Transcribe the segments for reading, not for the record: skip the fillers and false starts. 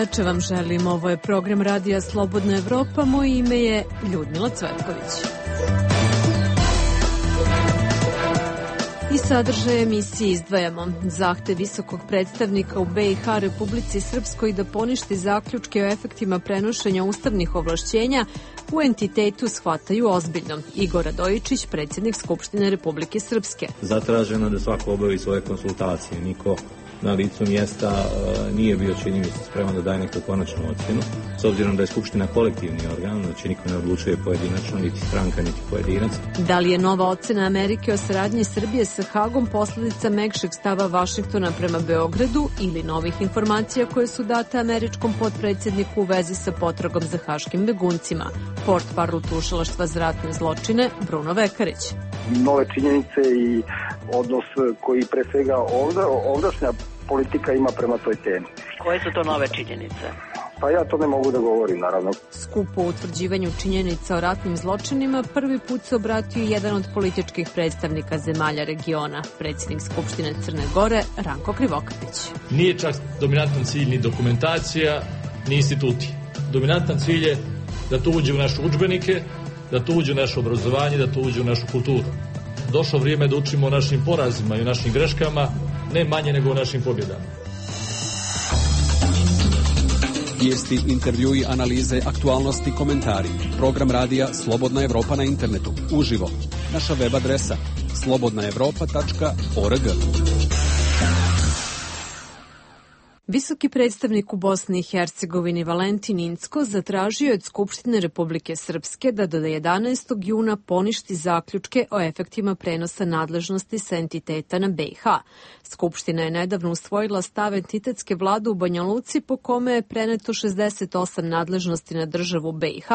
veče vam želim. Ovo je program Radija Slobodna Evropa. Moje ime je Ljudmila Cvetković. I sadržaj emisije izdvajamo. Zahtev visokog predstavnika u BiH Republici Srpskoj da poništi zaključke o efektima prenošenja ustavnih ovlašćenja u entitetu shvataju ozbiljno. Igor Radojičić, predsjednik Skupštine Republike Srpske. Zatraženo da svako obavi svoje konsultacije. Niko na licu mjesta nije bio, čini mi se, spreman da daje neku konačnu ocjenu. S obzirom da je Skupština kolektivni organ, znači niko ne odlučuje pojedinačno, niti stranka, niti pojedinac. Da li je nova ocjena Amerike o saradnji Srbije sa Hagom posljedica mekšeg stava Vašingtona prema Beogradu ili novih informacija koje su date američkom potpredsjedniku u vezi sa potragom za haškim beguncima? Portparol tužilaštva za ratne zločine Bruno Vekarić. Nove činjenice i odnos koji pre svega ovdašnja politika ima prema toj temi. Koje su to nove činjenice? Pa ja to ne mogu da govorim, naravno. Skupu o utvrđivanju činjenica o ratnim zločinima prvi put se obratio jedan od političkih predstavnika zemalja regiona, predsjednik Skupštine Crne Gore, Ranko Krivokapić. Nije čak dominantan cilj ni dokumentacija, ni instituti. Dominantan cilj je da to uđe u naše udžbenike, da to uđe u naše obrazovanje, da to uđe u našu kulturu. Došlo vrijeme da učimo o našim porazima i o našim greškama, ne manje nego o našim pobjedama. Vijesti, intervjui, analize, aktualnosti, komentari. Program radija Slobodna Evropa na internetu. Uživo. Naša web adresa slobodnaevropa.org. Visoki predstavnik u Bosni i Hercegovini Valentin Incko zatražio od Skupštine Republike Srpske da do 11. juna poništi zaključke o efektima prenosa nadležnosti sa entiteta na BiH. Skupština je nedavno usvojila stav entitetske vlade u Banja Luci po kome je preneto 68 nadležnosti na državu BiH,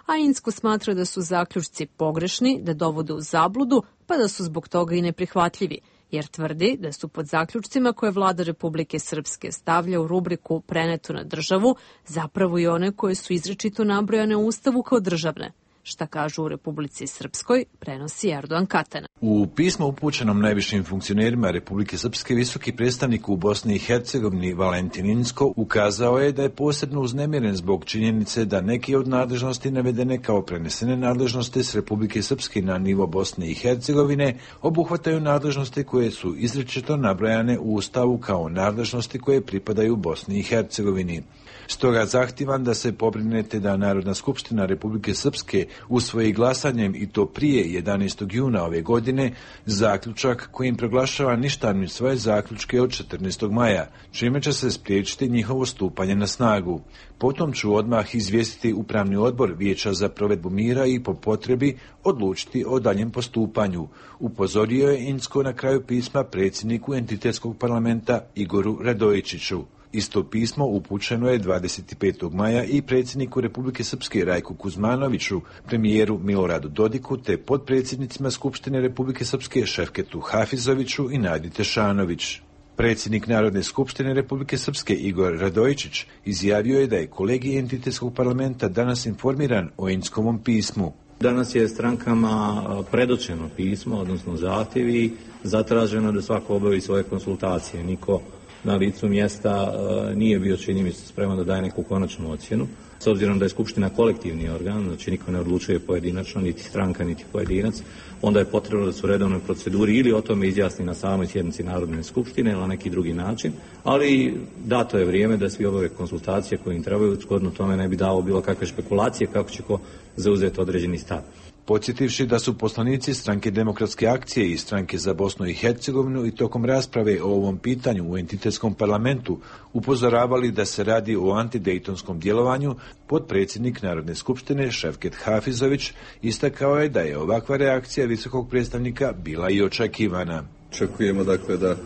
a Incko smatra da su zaključci pogrešni, da dovode u zabludu, pa da su zbog toga i neprihvatljivi, jer tvrdi da su pod zaključcima koje vlada Republike Srpske stavlja u rubriku preneto na državu zapravo i one koje su izričito nabrojane u Ustavu kao državne. Šta kažu u Republici Srpskoj, prenosi Erdogan Katana. U pismu upućenom najvišim funkcionerima Republike Srpske, visoki predstavnik u Bosni i Hercegovini Valentin Incko ukazao je da je posebno uznemiren zbog činjenice da neki od nadležnosti navedene kao prenesene nadležnosti s Republike Srpske na nivo Bosne i Hercegovine obuhvataju nadležnosti koje su izričito nabrojane u Ustavu kao nadležnosti koje pripadaju Bosni i Hercegovini. Stoga zahtijevam da se pobrinete da Narodna skupština Republike Srpske usvoji glasanjem, i to prije 11. juna ove godine, zaključak kojim proglašava ništavnim svoje zaključke od 14. maja, čime će se spriječiti njihovo stupanje na snagu. Potom ću odmah izvijestiti Upravni odbor Vijeća za provedbu mira i po potrebi odlučiti o daljem postupanju, upozorio je Incko na kraju pisma predsjedniku entitetskog parlamenta Igoru Radojičiću. Isto pismo upućeno je 25. maja i predsjedniku Republike Srpske Rajku Kuzmanoviću, premijeru Miloradu Dodiku te potpredsjednicima Skupštine Republike Srpske Šefketu Hafizoviću i Nadi Tešanović. Predsjednik Narodne skupštine Republike Srpske Igor Radojičić izjavio je da je kolegij entitetskog parlamenta danas informiran o Inckovom pismu. Danas je strankama predočeno pismo, odnosno zahtjevi, zatraženo da svako obavi svoje konsultacije. Niko na licu mjesta nije bio, čini mi se, spreman da daje neku konačnu ocjenu. S obzirom da je Skupština kolektivni organ, znači niko ne odlučuje pojedinačno, niti stranka, niti pojedinac, onda je potrebno da su u redovnoj proceduri ili o tome izjasni na samoj sjednici Narodne skupštine ili na neki drugi način, ali dato je vrijeme da svi obave konsultacije koje im trebaju, shodno tome ne bi dao bilo kakve špekulacije kako će ko zauzeti određeni stav. Podsjetivši da su poslanici Stranke demokratske akcije i Stranke za Bosnu i Hercegovinu i tokom rasprave o ovom pitanju u entitetskom parlamentu upozoravali da se radi o antidejtonskom djelovanju, potpredsjednik Narodne skupštine Šefket Hafizović istakao je da je ovakva reakcija visokog predstavnika bila i očekivana. Očekujemo dakle da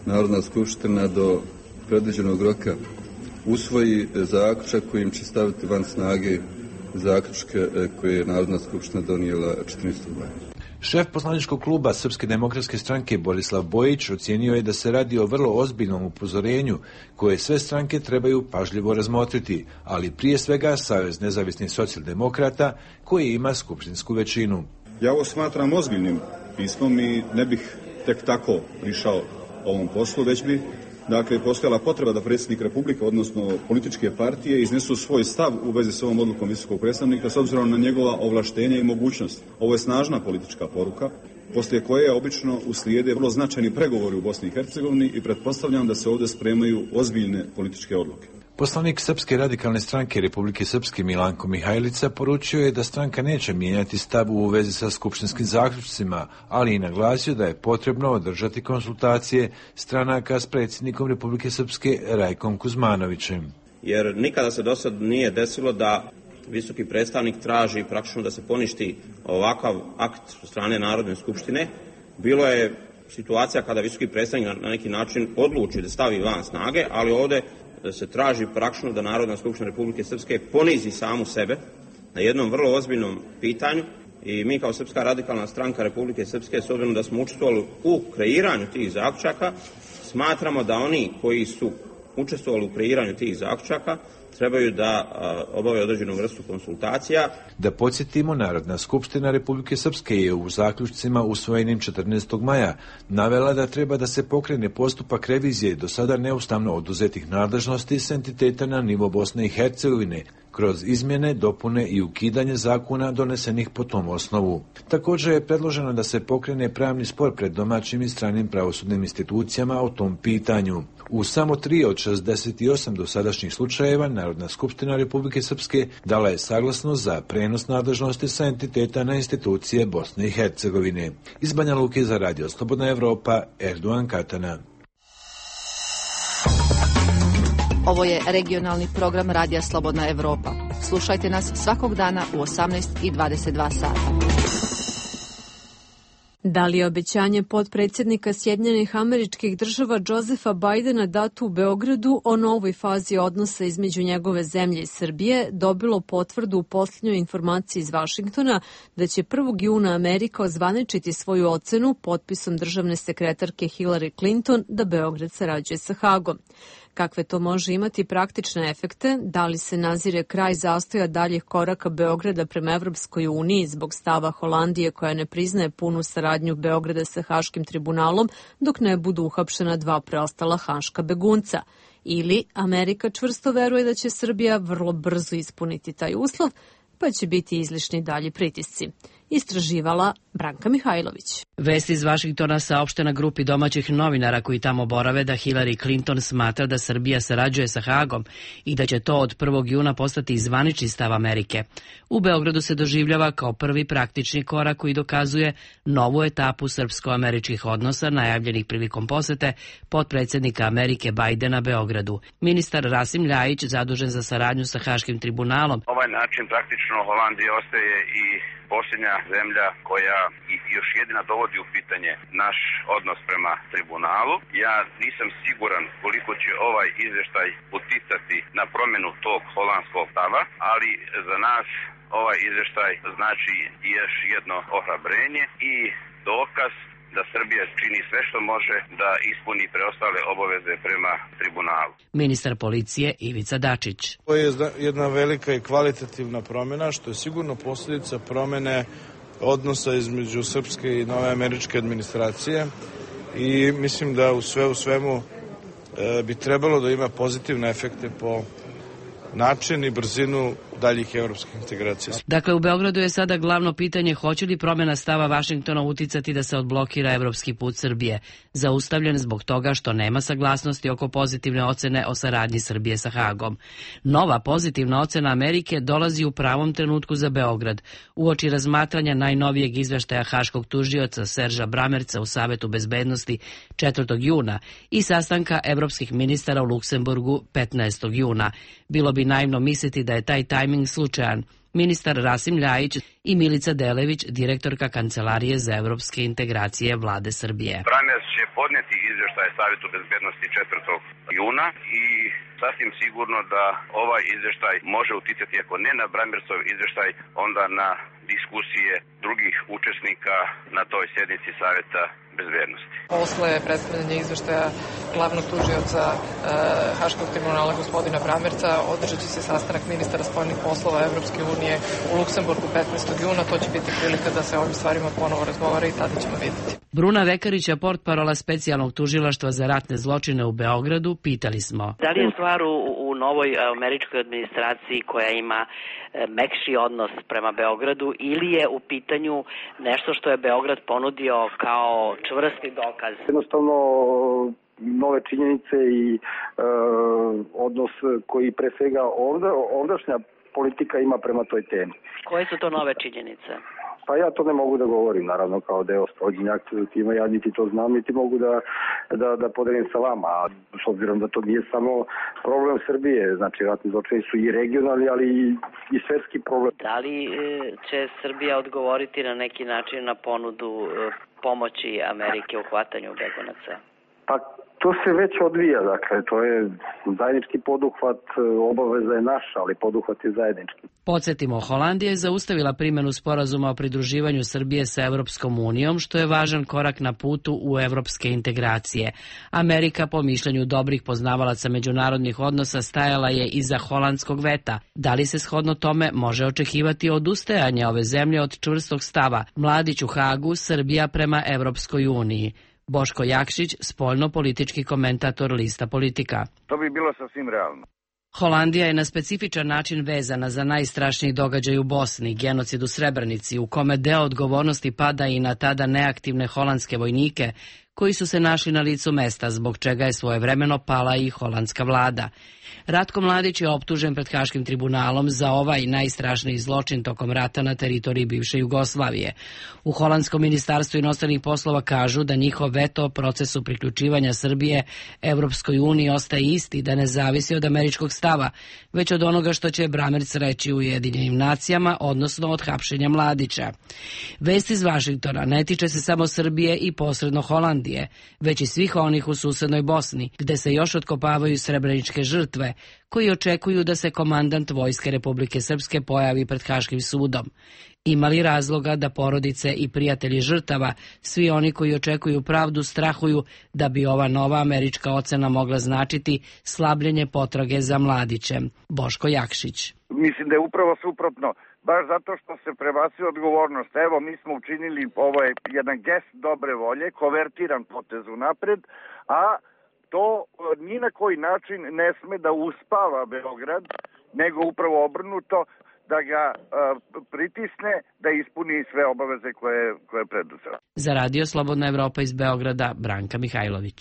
Narodna skupština do predviđenog roka usvoji zaključak kojim će staviti van snage zaključke koje je Narodna skupština donijela 14. maja. Šef poslaničkog kluba Srpske demokratske stranke Borislav Bojić ocijenio je da se radi o vrlo ozbiljnom upozorenju koje sve stranke trebaju pažljivo razmotriti, ali prije svega Savez nezavisnih socijaldemokrata koji ima skupštinsku većinu. Ja ovo smatram ozbiljnim pismom i ne bih tek tako prišao ovom poslu, već bi dakle, postojala potreba da predsjednik Republike, odnosno političke partije, iznesu svoj stav u vezi s ovom odlukom visokog predstavnika s obzirom na njegova ovlaštenja i mogućnost. Ovo je snažna politička poruka, poslije koje obično uslijede vrlo značajni pregovori u Bosni i Hercegovini i pretpostavljam da se ovdje spremaju ozbiljne političke odluke. Poslanik Srpske radikalne stranke Republike Srpske Milanko Mihajlica poručio je da stranka neće mijenjati stav u vezi sa skupštinskim zaključcima, ali i naglasio da je potrebno održati konsultacije stranaka s predsjednikom Republike Srpske Rajkom Kuzmanovićem. Jer nikada se do sad nije desilo da visoki predstavnik traži praktično da se poništi ovakav akt od strane Narodne skupštine. Bilo je situacija kada visoki predstavnik na neki način odluči da stavi van snage, ali ovdje da se traži praktično da Narodna skupština Republike Srpske ponizi samu sebe na jednom vrlo ozbiljnom pitanju i mi kao Srpska radikalna stranka Republike Srpske, s obzirom da smo učestvovali u kreiranju tih zaključaka, smatramo da oni koji su učestvovali u kreiranju tih zaključaka trebaju da obave određenu vrstu konsultacija. Da podsjetimo, Narodna skupština Republike Srpske je u zaključcima usvojenim 14. maja navela da treba da se pokrene postupak revizije do sada neustavno oduzetih nadležnosti s entiteta na nivo Bosne i Hercegovine, kroz izmjene, dopune i ukidanje zakona donesenih po tom osnovu. Također je predloženo da se pokrene pravni spor pred domaćim i stranim pravosudnim institucijama o tom pitanju. U samo 3 od 68 dosadašnjih slučajeva Narodna skupština Republike Srpske dala je saglasnost za prenos nadležnosti sa entiteta na institucije Bosne i Hercegovine. Iz Banja Luke za Radio Slobodna Evropa, Erdogan Katana. Ovo je regionalni program Radija Slobodna Evropa. Slušajte nas svakog dana u 18:22 sata. Da li je obećanje potpredsjednika Sjedinjenih Američkih Država Josefa Bidena dato u Beogradu o novoj fazi odnosa između njegove zemlje i Srbije dobilo potvrdu u posljednjoj informaciji iz Vašingtona da će 1. juna Amerika ozvaničiti svoju ocenu potpisom državne sekretarke Hillary Clinton da Beograd sarađuje sa Hagom. Kakve to može imati praktične efekte? Da li se nazire kraj zastoja daljih koraka Beograda prema Evropskoj uniji zbog stava Holandije koja ne priznaje punu saradnju Beograda sa Haškim tribunalom dok ne budu uhapšena 2 preostala haška begunca? Ili Amerika čvrsto veruje da će Srbija vrlo brzo ispuniti taj uslov, pa će biti izlišni dalji pritisci? Istraživala Branka Mihajlović. Vest iz Vašingtona saopšte na grupi domaćih novinara koji tamo borave da Hillary Clinton smatra da Srbija sarađuje sa Hagom i da će to od 1. juna postati zvanični stav Amerike. U Beogradu se doživljava kao prvi praktični korak koji dokazuje novu etapu srpsko-američkih odnosa najavljenih prilikom posete potpredsjednika Amerike Bidena Beogradu. Ministar Rasim Ljajić, zadužen za saradnju sa Haškim tribunalom. Ovaj način praktično Holandija ostaje i posljednja zemlja koja još jedina dovodi u pitanje naš odnos prema tribunalu. Ja nisam siguran koliko će ovaj izvještaj uticati na promjenu tog holandskog stava, ali za nas ovaj izvještaj znači još jedno ohrabrenje i dokaz da Srbija čini sve što može da ispuni preostale obaveze prema tribunalu. Ministar policije Ivica Dačić. To je jedna velika i kvalitativna promjena, što je sigurno posljedica promjene odnosa između srpske i nove američke administracije i mislim da u svemu bi trebalo da ima pozitivne efekte po način i brzinu daljih evropskih integracija. Dakle, u Beogradu je sada glavno pitanje hoće li promjena stava Vašingtona uticati da se odblokira evropski put Srbije, zaustavljen zbog toga što nema saglasnosti oko pozitivne ocene o saradnji Srbije sa Hagom. Nova pozitivna ocena Amerike dolazi u pravom trenutku za Beograd, uoči razmatranja najnovijeg izveštaja haškog tužioca Serža Bramerca u Savetu bezbednosti 4. juna i sastanka evropskih ministara u Luksemburgu 15. juna. Bilo bi naivno misliti da je taj tajming slučajan. Ministar Rasim Ljajić i Milica Delević, direktorka Kancelarije za evropske integracije Vlade Srbije. Bramerc će podnijeti izvještaj Savetu bezbednosti 4. juna i sasvim sigurno da ovaj izvještaj može uticati, ako ne na Bramercov izvještaj, onda na diskusije drugih učesnika na toj sjednici Saveta bezbednosti. Posle predstavljanja izveštaja glavnog tužioca Haškog tribunala gospodina Bramerca održat će se sastanak ministara spoljnih poslova Evropske unije u Luksemburgu 15. juna. To će biti prilika da se o ovim stvarima ponovo razgovara i tada ćemo vidjeti. Bruna Vekarića, portparola specijalnog tužilaštva za ratne zločine u Beogradu, pitali smo. Da li je stvar u novoj američkoj administraciji koja ima mekši odnos prema Beogradu ili je u pitanju nešto što je Beograd ponudio kao čvrsti dokaz? Jednostavno nove činjenice i odnos koji pre svega ovdašnja politika ima prema toj temi. Koje su to nove činjenice? Pa ja to ne mogu da govorim, naravno, kao deo sprovođenja aktivnog tima, ja niti to znam, niti mogu da podelim sa vama, a s obzirom da to nije samo problem Srbije, znači ratni zločini su i regionalni, ali i svetski problem. Da li će Srbija odgovoriti na neki način na ponudu pomoći Amerike u hvatanju begunaca? Pa to se već odvija, dakle, to je zajednički poduhvat, obaveza je naša, ali poduhvat je zajednički. Podsjetimo, Holandija je zaustavila primjenu sporazuma o pridruživanju Srbije sa Evropskom unijom, što je važan korak na putu u evropske integracije. Amerika, po mišljenju dobrih poznavalaca međunarodnih odnosa, stajala je iza holandskog veta. Da li se shodno tome može očekivati odustajanje ove zemlje od čvrstog stava Mladić u Hagu, Srbija prema Evropskoj uniji? Boško Jakšić, spoljno-politički komentator Lista Politika. To bi bilo sasvim realno. Holandija je na specifičan način vezana za najstrašniji događaj u Bosni, genocid u Srebrenici, u kome deo odgovornosti pada i na tada neaktivne holandske vojnike, koji su se našli na licu mesta, zbog čega je svojevremeno pala i holandska vlada. Ratko Mladić je optužen pred Haškim tribunalom za ovaj najstrašniji zločin tokom rata na teritoriji bivše Jugoslavije. U holandskom ministarstvu inostranih poslova kažu da njihov veto o procesu priključivanja Srbije Evropskoj uniji ostaje isti, da ne zavisi od američkog stava, već od onoga što će Bramerc reći u Ujedinjenim nacijama, odnosno od hapšenja Mladića. Vest iz Vašingtona ne tiče se samo Srbije i posredno Holandije, već i svih onih u susednoj Bosni, gde se još otkopavaju srebreničke žrtve, koji očekuju da se komandant Vojske Republike Srpske pojavi pred Haškim sudom. Ima li razloga da porodice i prijatelji žrtava, svi oni koji očekuju pravdu, strahuju da bi ova nova američka ocena mogla značiti slabljenje potrage za Mladićem? Boško Jakšić. Mislim da je upravo suprotno. Baš zato što se prebacuje odgovornost. Evo, mi smo učinili ovaj jedan gest dobre volje, konvertiran potez unapred, a to ni na koji način ne sme da uspava Beograd, nego upravo obrnuto, da ga pritisne da ispuni sve obaveze koje je preduzela. Za Radio Slobodna Evropa iz Beograda, Branka Mihajlović.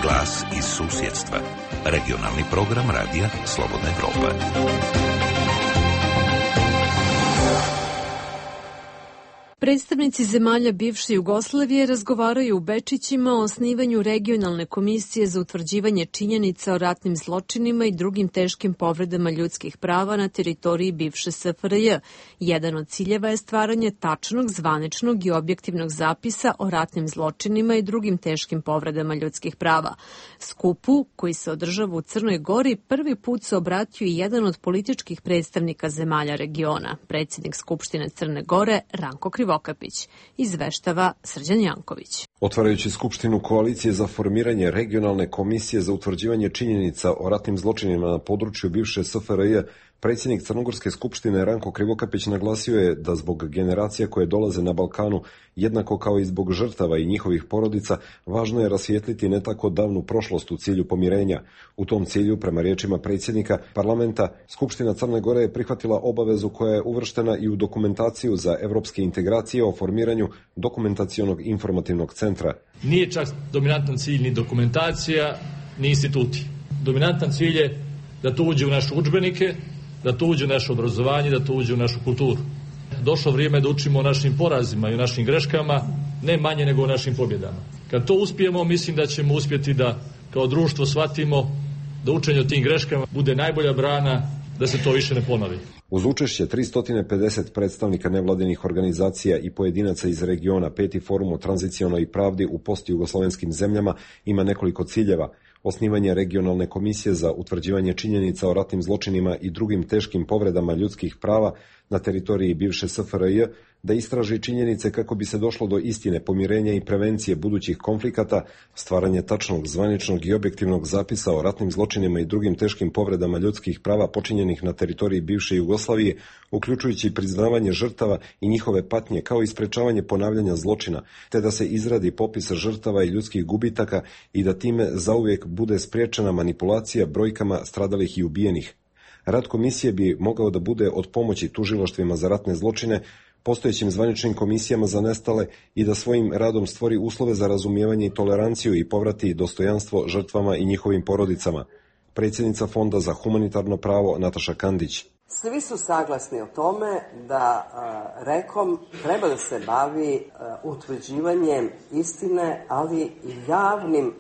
Glas iz susjedstva. Regionalni program Radija Slobodna Evropa. Predstavnici zemalja bivše Jugoslavije razgovaraju u Bečićima o osnivanju regionalne komisije za utvrđivanje činjenica o ratnim zločinima i drugim teškim povredama ljudskih prava na teritoriji bivše SFRJ. Jedan od ciljeva je stvaranje tačnog, zvaničnog i objektivnog zapisa o ratnim zločinima i drugim teškim povredama ljudskih prava. Skupu, koji se održava u Crnoj Gori, prvi put se obratio i jedan od političkih predstavnika zemalja regiona, predsjednik Skupštine Crne Gore Ranko Krivokapić. Izveštava Srđan Janković. Otvarajući Skupštinu koalicije za formiranje regionalne komisije za utvrđivanje činjenica o ratnim zločinima na području bivše SFRJ, predsjednik Crnogorske skupštine Ranko Krivokapić naglasio je da zbog generacija koje dolaze na Balkanu, jednako kao i zbog žrtava i njihovih porodica, važno je rasvijetliti ne tako davnu prošlost u cilju pomirenja. U tom cilju, prema riječima predsjednika parlamenta, Skupština Crne Gore je prihvatila obavezu koja je uvrštena i u dokumentaciju za evropske integracije o formiranju dokumentacionog informativnog centra. Nije čak dominantan cilj ni dokumentacija, ni instituti. Dominantan cilj je da to uđe u naše udžbenike, da to uđe u naše obrazovanje, da to uđe u našu kulturu. Došlo vrijeme da učimo o našim porazima i o našim greškama, ne manje nego o našim pobjedama. Kad to uspijemo, mislim da ćemo uspjeti da kao društvo shvatimo da učenje o tim greškama bude najbolja brana da se to više ne ponovi. Uz učešće 350 predstavnika nevladinih organizacija i pojedinaca iz regiona, 5. forum o tranzicionoj pravdi u postjugoslovenskim zemljama ima nekoliko ciljeva. Osnivanje regionalne komisije za utvrđivanje činjenica o ratnim zločinima i drugim teškim povredama ljudskih prava na teritoriji bivše SFRJ, da istraži činjenice kako bi se došlo do istine, pomirenja i prevencije budućih konflikata, stvaranje tačnog, zvaničnog i objektivnog zapisa o ratnim zločinima i drugim teškim povredama ljudskih prava počinjenih na teritoriji bivše Jugoslavije, uključujući priznavanje žrtava i njihove patnje, kao i sprečavanje ponavljanja zločina, te da se izradi popis žrtava i ljudskih gubitaka i da time zauvijek bude spriječena manipulacija brojkama stradalih i ubijenih. Rad komisije bi mogao da bude od pomoći tužilaštvima za ratne zločine, postojećim zvaničnim komisijama za nestale i da svojim radom stvori uslove za razumijevanje i toleranciju i povrati dostojanstvo žrtvama i njihovim porodicama. Predsjednica Fonda za humanitarno pravo Nataša Kandić. Svi su saglasni o tome da REKOM treba da se bavi utvrđivanjem istine, ali i javnim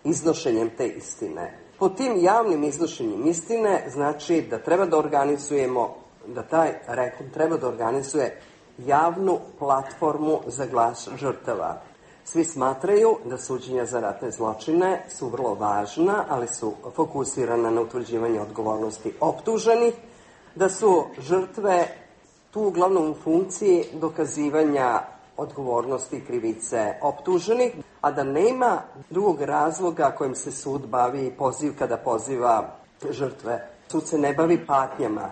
iznošenjem te istine. Pod tim javnim iznošenjem istine znači da treba da organizujemo, da taj REKOM treba da organizuje javnu platformu za glas žrtava. Svi smatraju da suđenja za ratne zločine su vrlo važna, ali su fokusirana na utvrđivanje odgovornosti optuženih, da su žrtve tu uglavnom u funkciji dokazivanja odgovornosti i krivice optuženih, a da nema drugog razloga kojim se sud bavi kada poziva žrtve. Sud se ne bavi patnjama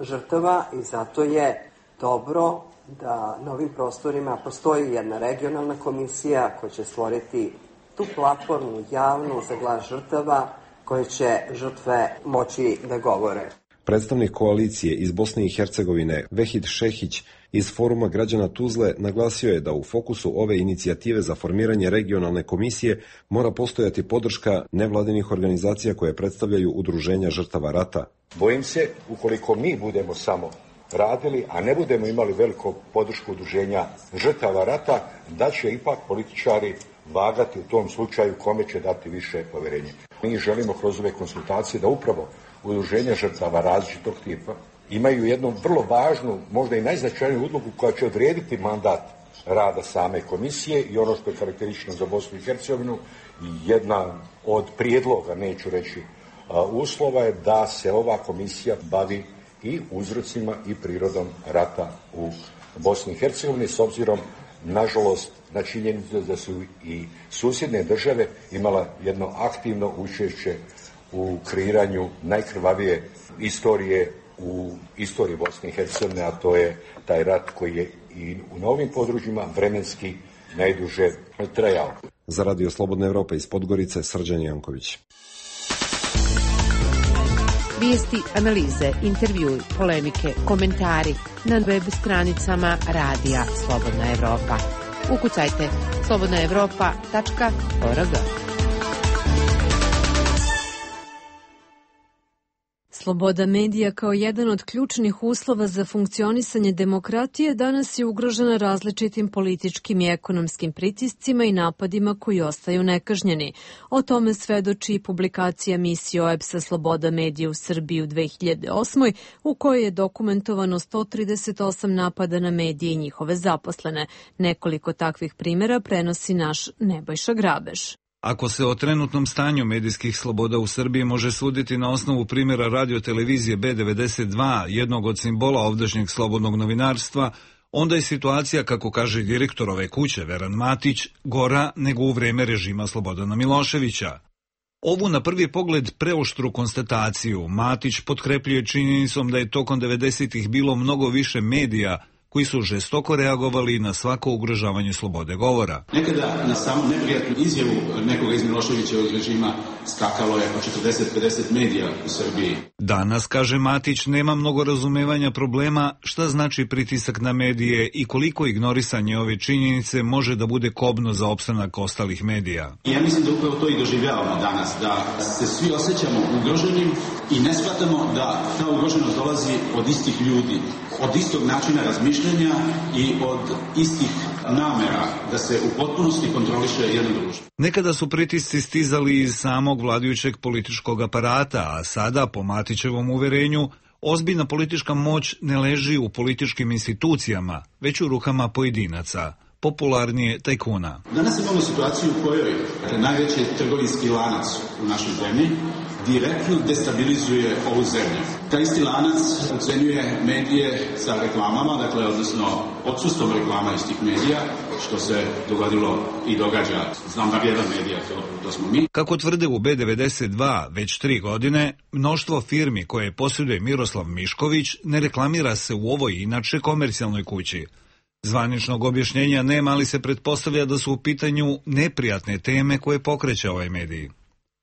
žrtava i zato je dobro da na ovim prostorima postoji jedna regionalna komisija koja će stvoriti tu platformu javnu za glas žrtava koje će žrtve moći da govore. Predstavnik koalicije iz Bosne i Hercegovine Vehid Šehić iz Foruma građana Tuzle naglasio je da u fokusu ove inicijative za formiranje regionalne komisije mora postojati podrška nevladinih organizacija koje predstavljaju udruženja žrtava rata. Bojim se, ukoliko mi budemo samo radili, a ne budemo imali veliku podršku udruženja žrtava rata, da će ipak političari vagati u tom slučaju kome će dati više povjerenja. Mi želimo kroz ove konsultacije da upravo udruženja žrtava različitog tipa imaju jednu vrlo važnu, možda i najznačajniju ulogu koja će odrediti mandat rada same komisije i ono što je karakteristično za Bosnu i Hercegovinu, jedna od prijedloga, neću reći uslova, je da se ova komisija bavi i uzrocima i prirodom rata u Bosni i Hercegovini, s obzirom, nažalost, na činjenicu da su i susjedne države imala jedno aktivno učešće u kreiranju najkrvavije istorije u istoriji Bosne i Hercegovine, a to je taj rat koji je i na ovim područjima vremenski najduže trajao. Za Radio Slobodna Evropa iz Podgorice, Srđan Janković. Vijesti, analize, intervjui, polemike, komentari na web stranicama Radija Slobodna Evropa. Ukucajte slobodnaevropa.org. Sloboda medija kao jedan od ključnih uslova za funkcionisanje demokratije danas je ugrožena različitim političkim i ekonomskim pritiscima i napadima koji ostaju nekažnjeni. O tome svedoči publikacija misije OEBS-a Sloboda medija u Srbiji u 2008. u kojoj je dokumentovano 138 napada na medije i njihove zaposlene. Nekoliko takvih primjera prenosi naš Nebojša Grabež. Ako se o trenutnom stanju medijskih sloboda u Srbiji može suditi na osnovu primjera radiotelevizije B92, jednog od simbola ovdašnjeg slobodnog novinarstva, onda je situacija, kako kaže direktor ove kuće, Veran Matić, gora nego u vreme režima Slobodana Miloševića. Ovu na prvi pogled preoštru konstataciju Matić potkrepljuje činjenicom da je tokom 90-ih bilo mnogo više medija koji su žestoko reagovali na svako ugrožavanje slobode govora. Nekada na samu neprijatnu izjavu nekoga iz Miloševićevog režima skakalo je oko 40-50 medija u Srbiji. Danas, kaže Matić, nema mnogo razumevanja problema šta znači pritisak na medije i koliko ignorisanje ove činjenice može da bude kobno za opstanak ostalih medija. Ja mislim da upravo to i doživljavamo danas, da se svi osjećamo ugroženim i ne shvatamo da ta ugroženost dolazi od istih ljudi, od istog načina razmišljanja i od istih namera da se u potpunosti kontroliše jedno društvo. Nekada su pritisci stizali iz samog vladajućeg političkog aparata, a sada, po Matićevom uverenju, ozbiljna politička moć ne leži u političkim institucijama, već u rukama pojedinaca, popularnije tajkuna. Danas imamo situaciju u kojoj najveći trgovinski lanac u našoj zemlji direktno destabilizuje ovu zemlju. Taj isti lanac ocenjuje medije sa reklamama, dakle, odnosno odsustvom reklama iz tih medija, što se dogodilo i događa. Znam da jedan medija, to smo mi. Kako tvrde u B92 već 3 godine, mnoštvo firmi koje posjeduje Miroslav Mišković ne reklamira se u ovoj inače komercijalnoj kući. Zvaničnog objašnjenja nema, ali se pretpostavlja da su u pitanju neprijatne teme koje pokreće ovaj medij.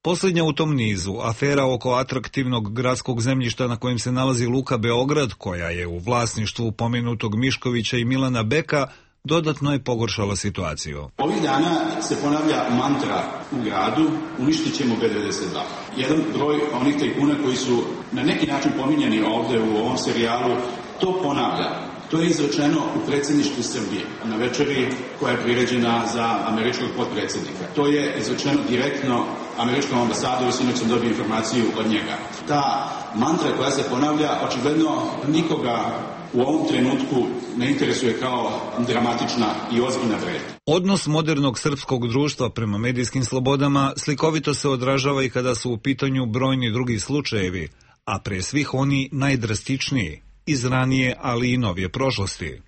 Posljednja u tom nizu, afera oko atraktivnog gradskog zemljišta na kojem se nalazi Luka Beograd, koja je u vlasništvu pomenutog Miškovića i Milana Beka, dodatno je pogoršala situaciju. Ovih dana se ponavlja mantra u gradu, uništit ćemo B92. Jedan broj onih tajkuna koji su na neki način pominjani ovdje u ovom serijalu, to ponavlja. To je izrečeno u predsjedništvu Srbije, na večeri koja je priređena za američkog potpredsjednika. To je izrečeno direktno američkom ambasadoru, sinoć sam dobio informaciju od njega. Ta mantra koja se ponavlja, očigledno nikoga u ovom trenutku ne interesuje kao dramatična i ozbiljna pretnja. Odnos modernog srpskog društva prema medijskim slobodama slikovito se odražava i kada su u pitanju brojni drugi slučajevi, a pre svih oni najdrastičniji, iz ranije, ali i novije prošlosti.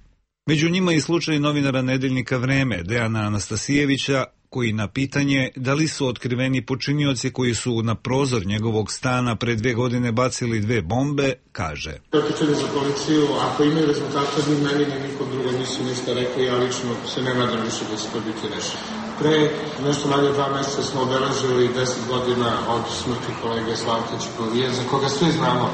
Među njima i slučaj novinara nedeljnika Vreme, Dejana Anastasijevića, koji na pitanje da li su otkriveni počinioci koji su na prozor njegovog stana pre 2 godine bacili 2 bombe, kaže. Pitanje za policiju, ako imaju rezultate, ni meni, ni nikom drugom nisu ništa rekli, ja lično se ne nadam više da će to biti rešeno. Pre nešto manje 2 meseca smo obeležili 10 godina od smrti kolege Slavka Ćipovije, za koga svi znamo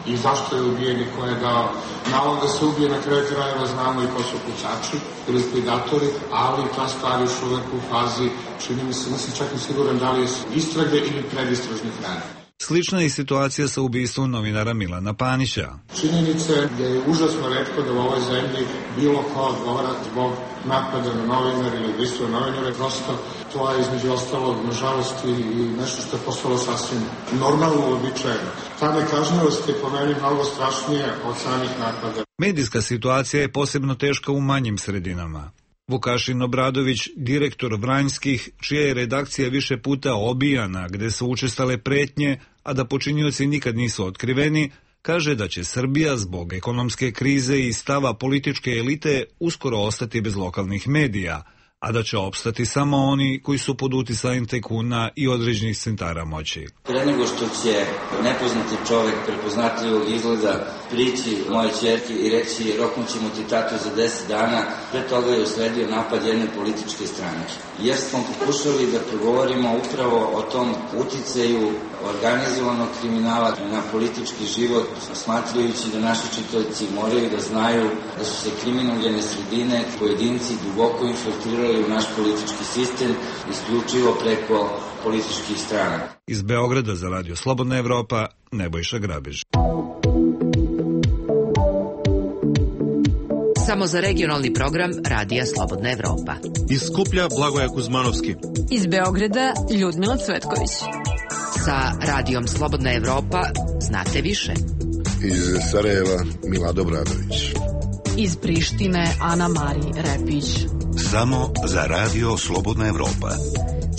i zašto je ubijen i ko je dao nalog da se ubije, na kraju krajeva znamo i ko su pucači, likvidatori, ali ta stvar još uvek u fazi, čini mi se, nisam čak i siguran da li je istrage ili predistražnih radnji. Slična je situacija sa ubistvom novinara Milana Panića. Činjenica je užasno retko da u ovoj zemlji bilo ko odgovara zbog napada na novinar ili ubistva novinara. Prosto to je između ostalog, nažalost, i nešto što je postalo sasvim normalno, uobičajeno. Ta nekažnjivost je po meni mnogo strašnija od samih napada. Medijska situacija je posebno teška u manjim sredinama. Vukašin Obradović, direktor Vranjskih, čija je redakcija više puta obijana, gde su učestale pretnje, a da počinioci nikad nisu otkriveni, kaže da će Srbija zbog ekonomske krize i stava političke elite uskoro ostati bez lokalnih medija, a da će opstati samo oni koji su pod uticajem tajkuna i određenih centara moći. Pre nego što će nepoznati čovek prepoznatljivog izgleda prići moje ćerki i reći roknućemo ti tatu za 10 dana, pre toga je usledio napad jedne političke stranke. Jer smo pokušali da progovorimo upravo o tom uticaju organizovanog kriminala na politički život, smatrajući da naši čitaoci moraju da znaju da su se kriminogene sredine, pojedinci duboko infiltrirali u naš politički sistem isključivo preko političkih strana. Iz Beograda za Radio Slobodna Evropa, Nebojša Grabež. Samo za regionalni program Radija Slobodna Evropa. Iz Skuplja Blagoja Kuzmanovski. Iz Beograda Ljudmila Cvetković. Sa Radijom Slobodna Evropa znate više. Iz Sarajeva Milado Bradović. Iz Prištine Ana Mari Repić. Samo za Radio Slobodna Evropa.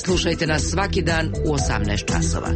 Slušajte nas svaki dan u 18 časova.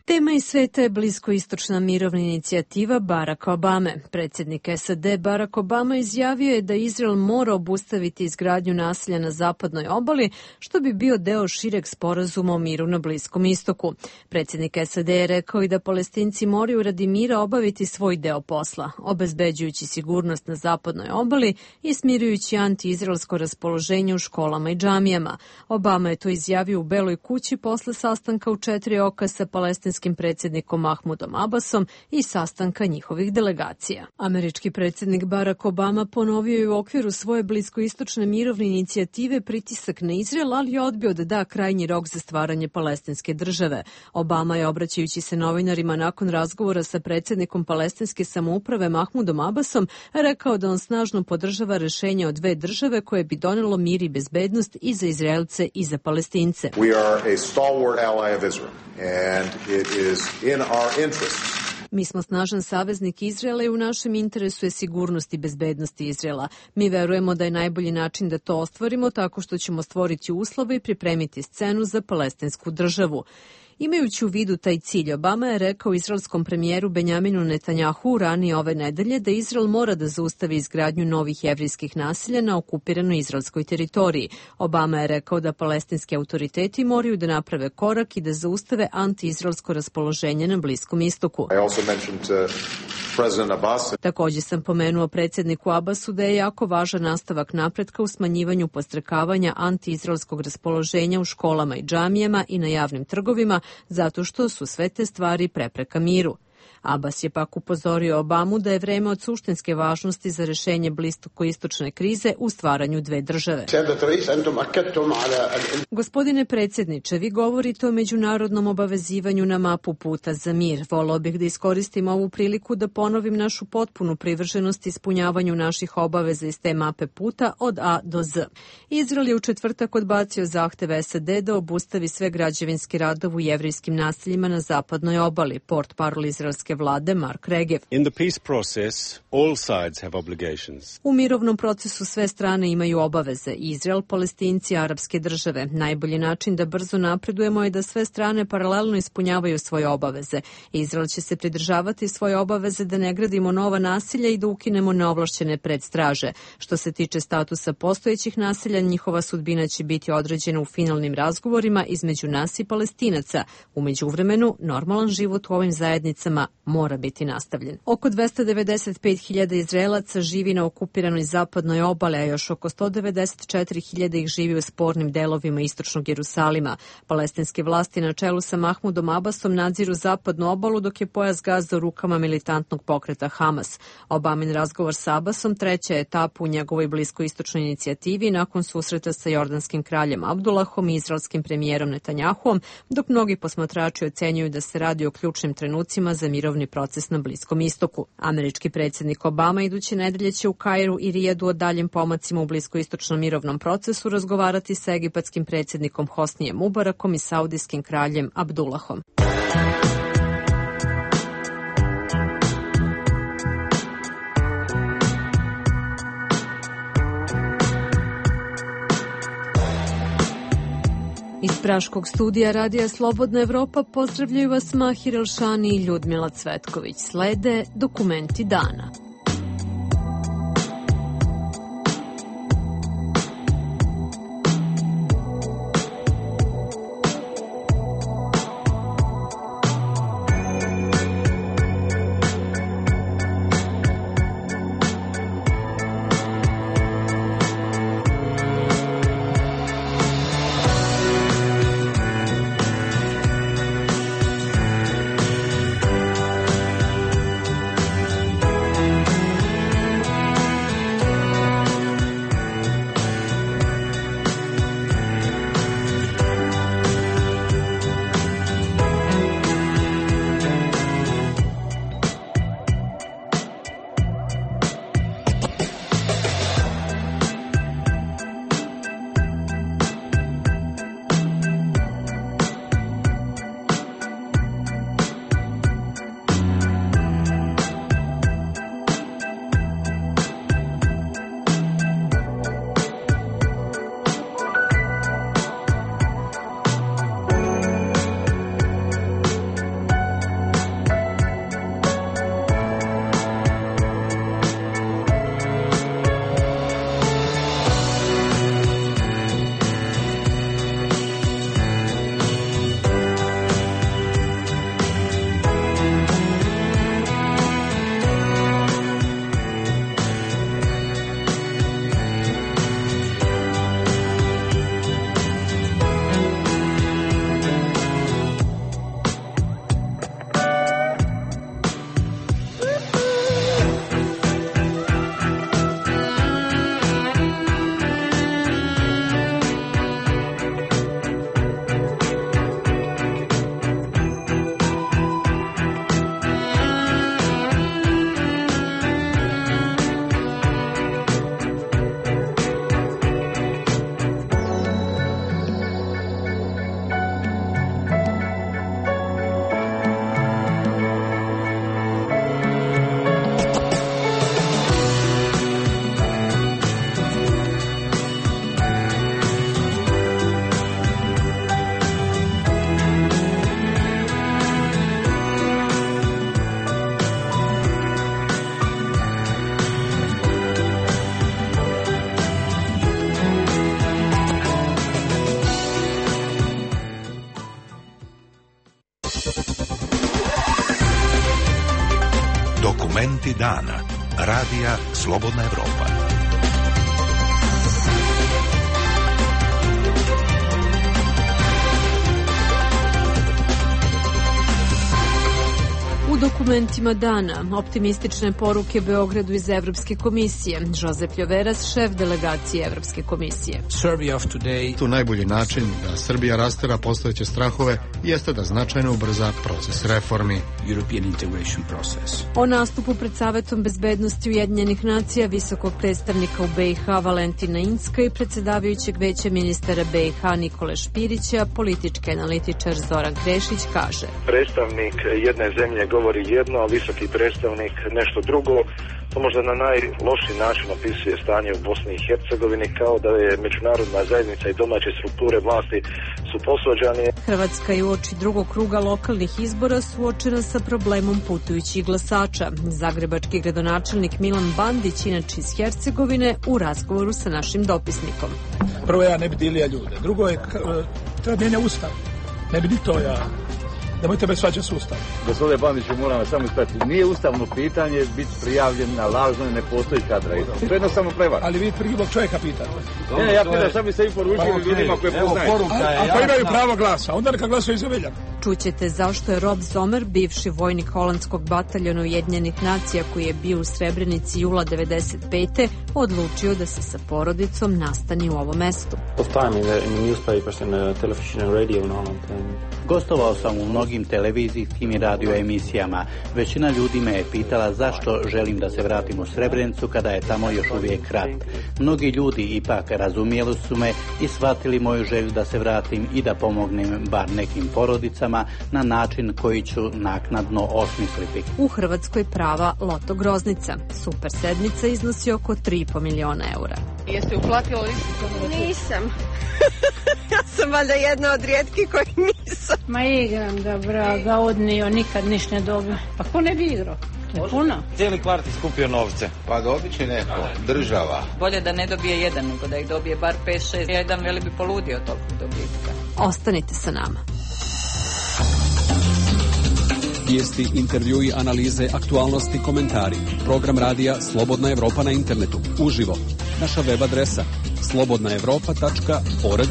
Tema iz sveta je bliskoistočna mirovna inicijativa Baracka Obame. Predsjednik SAD Barack Obama izjavio je da Izrael mora obustaviti izgradnju naselja na zapadnoj obali, što bi bio deo šireg sporazuma o miru na Bliskom istoku. Predsjednik SAD je rekao i da Palestinci moraju radi mira obaviti svoj deo posla, obezbeđujući sigurnost na zapadnoj obali i smirujući anti-izraelsko raspoloženje u školama i džamijama. Obama je to izjavio u Beloj kući posle sastanka u 4 oka sa palestinskim predsjednikom Mahmudom Abbasom i sastanka njihovih delegacija. Američki predsjednik Barack Obama ponovio je u okviru svoje bliskoistočne mirovne inicijative pritisak na Izrael, ali je odbio da da krajnji rok za stvaranje palestinske države. Obama je, obraćajući se novinarima nakon razgovora sa predsjednikom palestinske samouprave Mahmudom Abbasom, rekao da on snažno podržava rešenje o 2 države koje bi donelo mir i bezbednost i za Izraelce i za Palestince. We are a stalwart ally of Israel, and it is in our interests Mi smo snažan saveznik Izraela i u našem interesu je sigurnost i bezbednost Izraela. Mi verujemo da je najbolji način da to ostvarimo tako što ćemo stvoriti uslove i pripremiti scenu za palestinsku državu. Imajući u vidu taj cilj, Obama je rekao izraelskom premijeru Benjaminu Netanjahu ranije ove nedelje da Izrael mora da zaustavi izgradnju novih jevrijskih naselja na okupiranoj izraelskoj teritoriji. Obama je rekao da palestinski autoriteti moraju da naprave korak i da zaustave anti-izraelsko raspoloženje na Bliskom istoku. Također sam pomenuo predsjedniku Abbasu da je jako važan nastavak napretka u smanjivanju podstrekavanja anti-izraelskog raspoloženja u školama i džamijama i na javnim trgovima, zato što su sve te stvari prepreka miru. Abbas je pak upozorio Obamu da je vreme od suštinske važnosti za rešenje bliskoistočne krize u stvaranju dve države. Gospodine predsjedniče, vi govorite o međunarodnom obavezivanju na mapu puta za mir. Voleo bih da iskoristim ovu priliku da ponovim našu potpunu privrženost ispunjavanju naših obaveza iz te mape puta od A do Z. Izrael je u četvrtak odbacio zahtev SAD da obustavi sve građevinske radove u jevrijskim naseljima na zapadnoj obali, portparol izraelske vlade Mark Regev. U mirovnom procesu sve strane imaju obaveze. Izrael, Palestinci, arapske države. Najbolji način da brzo napredujemo je da sve strane paralelno ispunjavaju svoje obaveze. Izrael će se pridržavati svoje obaveze da ne gradimo nova nasilja i da ukinemo neovlašćene predstraže. Što se tiče statusa postojećih naselja, njihova sudbina će biti određena u finalnim razgovorima između nas i Palestinaca. U međuvremenu, normalan život u ovim zajednicama mora biti nastavljen. Oko 295.000 Izraelaca živi na okupiranoj zapadnoj obali, a još oko 194.000 ih živi u spornim delovima istočnog Jerusalima. Palestinske vlasti na čelu sa Mahmudom Abbasom nadziru zapadnu obalu, dok je pojas Gaza u rukama militantnog pokreta Hamas. Obamin razgovor sa Abbasom treća etapa u njegovoj bliskoistočnoj inicijativi nakon susreta sa jordanskim kraljem Abdullahom i izraelskim premijerom Netanjahuom, dok mnogi posmatrači ocenjuju da se radi o ključnim trenucima za mirovni proces na Bliskom istoku. Američki predsjednik Obama iduće nedelje će u Kairu i Rijadu o daljim pomacima u bliskoistočnom mirovnom procesu razgovarati sa egipatskim predsjednikom Hosnijem Mubarakom i saudijskim kraljem Abdullahom. Iz Praškog studija Radija Slobodna Evropa pozdravljaju vas Mahir Elšani i Ljudmila Cvetković. Slede dokumenti dana. Dokumenti dana. Radija Slobodna Evropa. U dokumentima dana optimistične poruke Beogradu iz Evropske komisije. Josep Ljoveras, šef delegacije Evropske komisije. Tu najbolji način da Srbija rastera postojeće strahove jeste da značajno ubrza proces reformi. O nastupu pred Savetom bezbednosti Ujedinjenih nacija visokog predstavnika u BiH Valentina Incka i predsjedavajućeg veća ministara BiH Nikole Špirića, politički analitičar Zoran Krešić kaže: Predstavnik jedne zemlje govori jedno, a visoki predstavnik nešto drugo. To možda na najlošiji način opisuje stanje u Bosni i Hercegovini, kao da je međunarodna zajednica i domaće strukture vlasti su posvađane. Hrvatska je uoči drugog kruga lokalnih izbora suočena sa problemom putujućih glasača. Zagrebački gradonačelnik Milan Bandić, inače iz Hercegovine, u razgovoru sa našim dopisnikom. Prvo, ja ne bi dilija ljude. Drugo je, treba mijenja ustav. Ne bi ni to ja. Nemojte me svađati s Ustavom. Gospodine Bandiću, moram vas samo ispratiti. Nije ustavno pitanje biti prijavljen na lažno i ne postoji kadra. To je jednostavno prevara. Ali vi prvog čovjeka pitate. Ne, ja pitam šta bi se i poručili ljudima koje poznajete. Ako imaju pravo glasa, onda neka glasuju za Veljana. Čućete zašto je Rob Zomer, bivši vojnik holandskog bataljona Ujedinjenih nacija koji je bio u Srebrenici jula 1995. odlučio da se sa porodicom nastani u ovom mestu. Gostovao sam u mnogim televizijskim i radio emisijama. Većina ljudi me je pitala zašto želim da se vratim u Srebrenicu kada je tamo još uvijek rat. Mnogi ljudi ipak razumijeli su me i shvatili moju želju da se vratim i da pomognem bar nekim porodicama na način koji ću naknadno osmisliti. U Hrvatskoj prava loto groznica. Super sedmica iznosi oko 3,5 miliona eura. Jeste uplatila listu? Nisam. Ja sam valjda jedna od rijetkih koji nisam. Ma igram da vraga odnio, nikad ništa ne dobio. Pa ko ne bi igrao? To je puno. Cijeli kvart je skupio novce. Pa dobit će neko, država. Bolje da ne dobije jedan, nego da ih dobije bar 5-6. Jedan veli bi poludio toliko dobitka. Ostanite sa nama. Vijesti, intervjui, analize, aktualnosti, komentari. Program radija Slobodna Evropa na internetu. Uživo. Naša web adresa slobodnaevropa.org.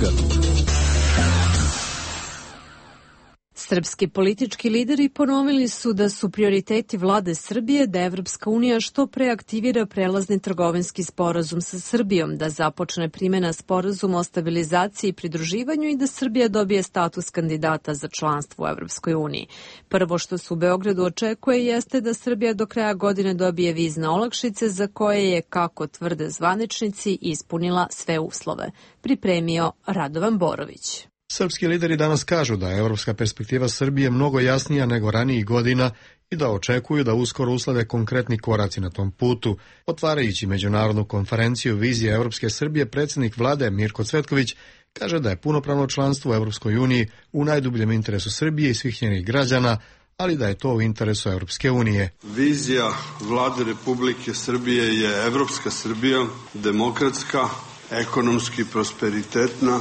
Srpski politički lideri ponovili su da su prioriteti vlade Srbije da Evropska unija što pre aktivira prelazni trgovinski sporazum sa Srbijom, da započne primjena sporazuma o stabilizaciji i pridruživanju i da Srbija dobije status kandidata za članstvo u Evropskoj uniji. Prvo što se u Beogradu očekuje jeste da Srbija do kraja godine dobije vizne olakšice za koje je, kako tvrde zvaničnici, ispunila sve uslove. Pripremio Radovan Borović. Srpski lideri danas kažu da je evropska perspektiva Srbije mnogo jasnija nego ranijih godina i da očekuju da uskoro uslede konkretni koraci na tom putu. Otvarajući međunarodnu konferenciju Vizije Evropske Srbije, predsjednik vlade Mirko Cvetković kaže da je punopravno članstvo u Evropskoj uniji u najdubljem interesu Srbije i svih njenih građana, ali da je to u interesu Evropske unije. Vizija vlade Republike Srbije je evropska Srbija, demokratska, ekonomski prosperitetna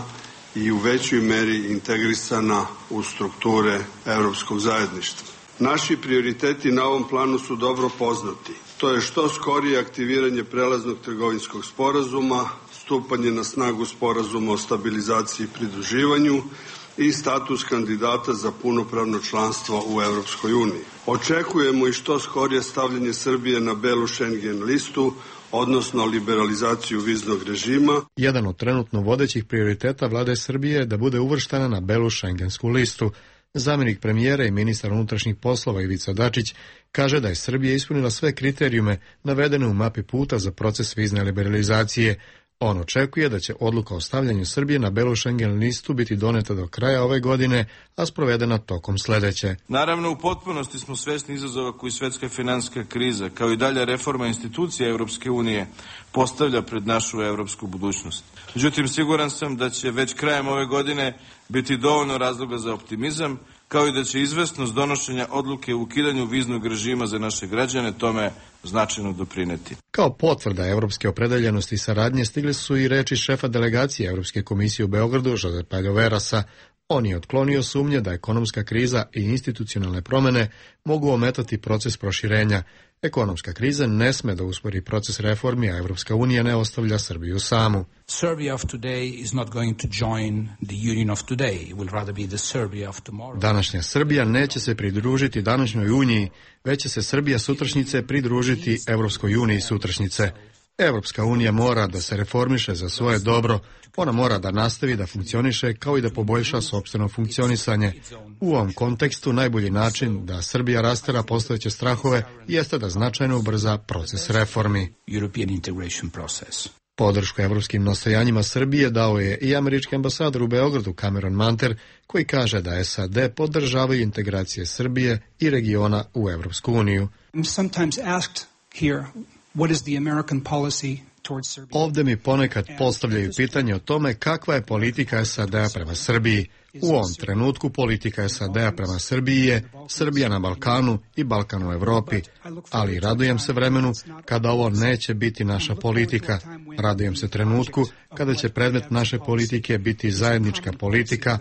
i u većoj meri integrisana u strukture evropskog zajedništva. Naši prioriteti na ovom planu su dobro poznati. To je što skorije aktiviranje prelaznog trgovinskog sporazuma, stupanje na snagu sporazuma o stabilizaciji i pridruživanju i status kandidata za punopravno članstvo u Evropskoj uniji. Očekujemo i što skorije stavljanje Srbije na belu Schengen listu, odnosno liberalizaciju viznog režima. Jedan od trenutno vodećih prioriteta vlade Srbije je da bude uvrštena na belu šengensku listu. Zamjenik premijera i ministar unutrašnjih poslova Ivica Dačić kaže da je Srbija ispunila sve kriterijume navedene u mapi puta za proces vizne liberalizacije. On očekuje da će odluka o stavljanju Srbije na belu Schengen listu biti doneta do kraja ove godine, a sprovedena tokom sledeće. Naravno, u potpunosti smo svesni izazova koji svetska finansijska kriza, kao i dalja reforma institucija Evropske unije, postavlja pred našu evropsku budućnost. Međutim, siguran sam da će već krajem ove godine biti dovoljno razloga za optimizam, kao i da će izvesnost donošenja odluke u ukidanju viznog režima za naše građane tome značajno doprineti. Kao potvrda evropske opredeljenosti i saradnje stigle su i reči šefa delegacije Evropske komisije u Beogradu, Josepa Ljoverasa. On je otklonio sumnje da ekonomska kriza i institucionalne promjene mogu ometati proces proširenja. Ekonomska kriza ne sme da uspori proces reformi, a Evropska unija ne ostavlja Srbiju samu. Današnja Srbija neće se pridružiti današnjoj uniji, već će se Srbija sutrašnjice pridružiti Evropskoj uniji sutrašnjice. Evropska unija mora da se reformiše za svoje dobro, ona mora da nastavi da funkcioniše kao i da poboljša sopstveno funkcionisanje. U ovom kontekstu najbolji način da Srbija rastera postojeće strahove jeste da značajno ubrza proces reformi. Podršku evropskim nastojanjima Srbije dao je i američki ambasador u Beogradu Cameron Manter, koji kaže da SAD podržavaju integracije Srbije i regiona u Evropsku uniju. Ovdje mi ponekad postavljaju pitanje o tome kakva je politika SAD-a prema Srbiji. U ovom trenutku politika SAD-a prema Srbiji je Srbija na Balkanu i Balkan u Evropi, ali radujem se vremenu kada ovo neće biti naša politika. Radujem se trenutku kada će predmet naše politike biti zajednička politika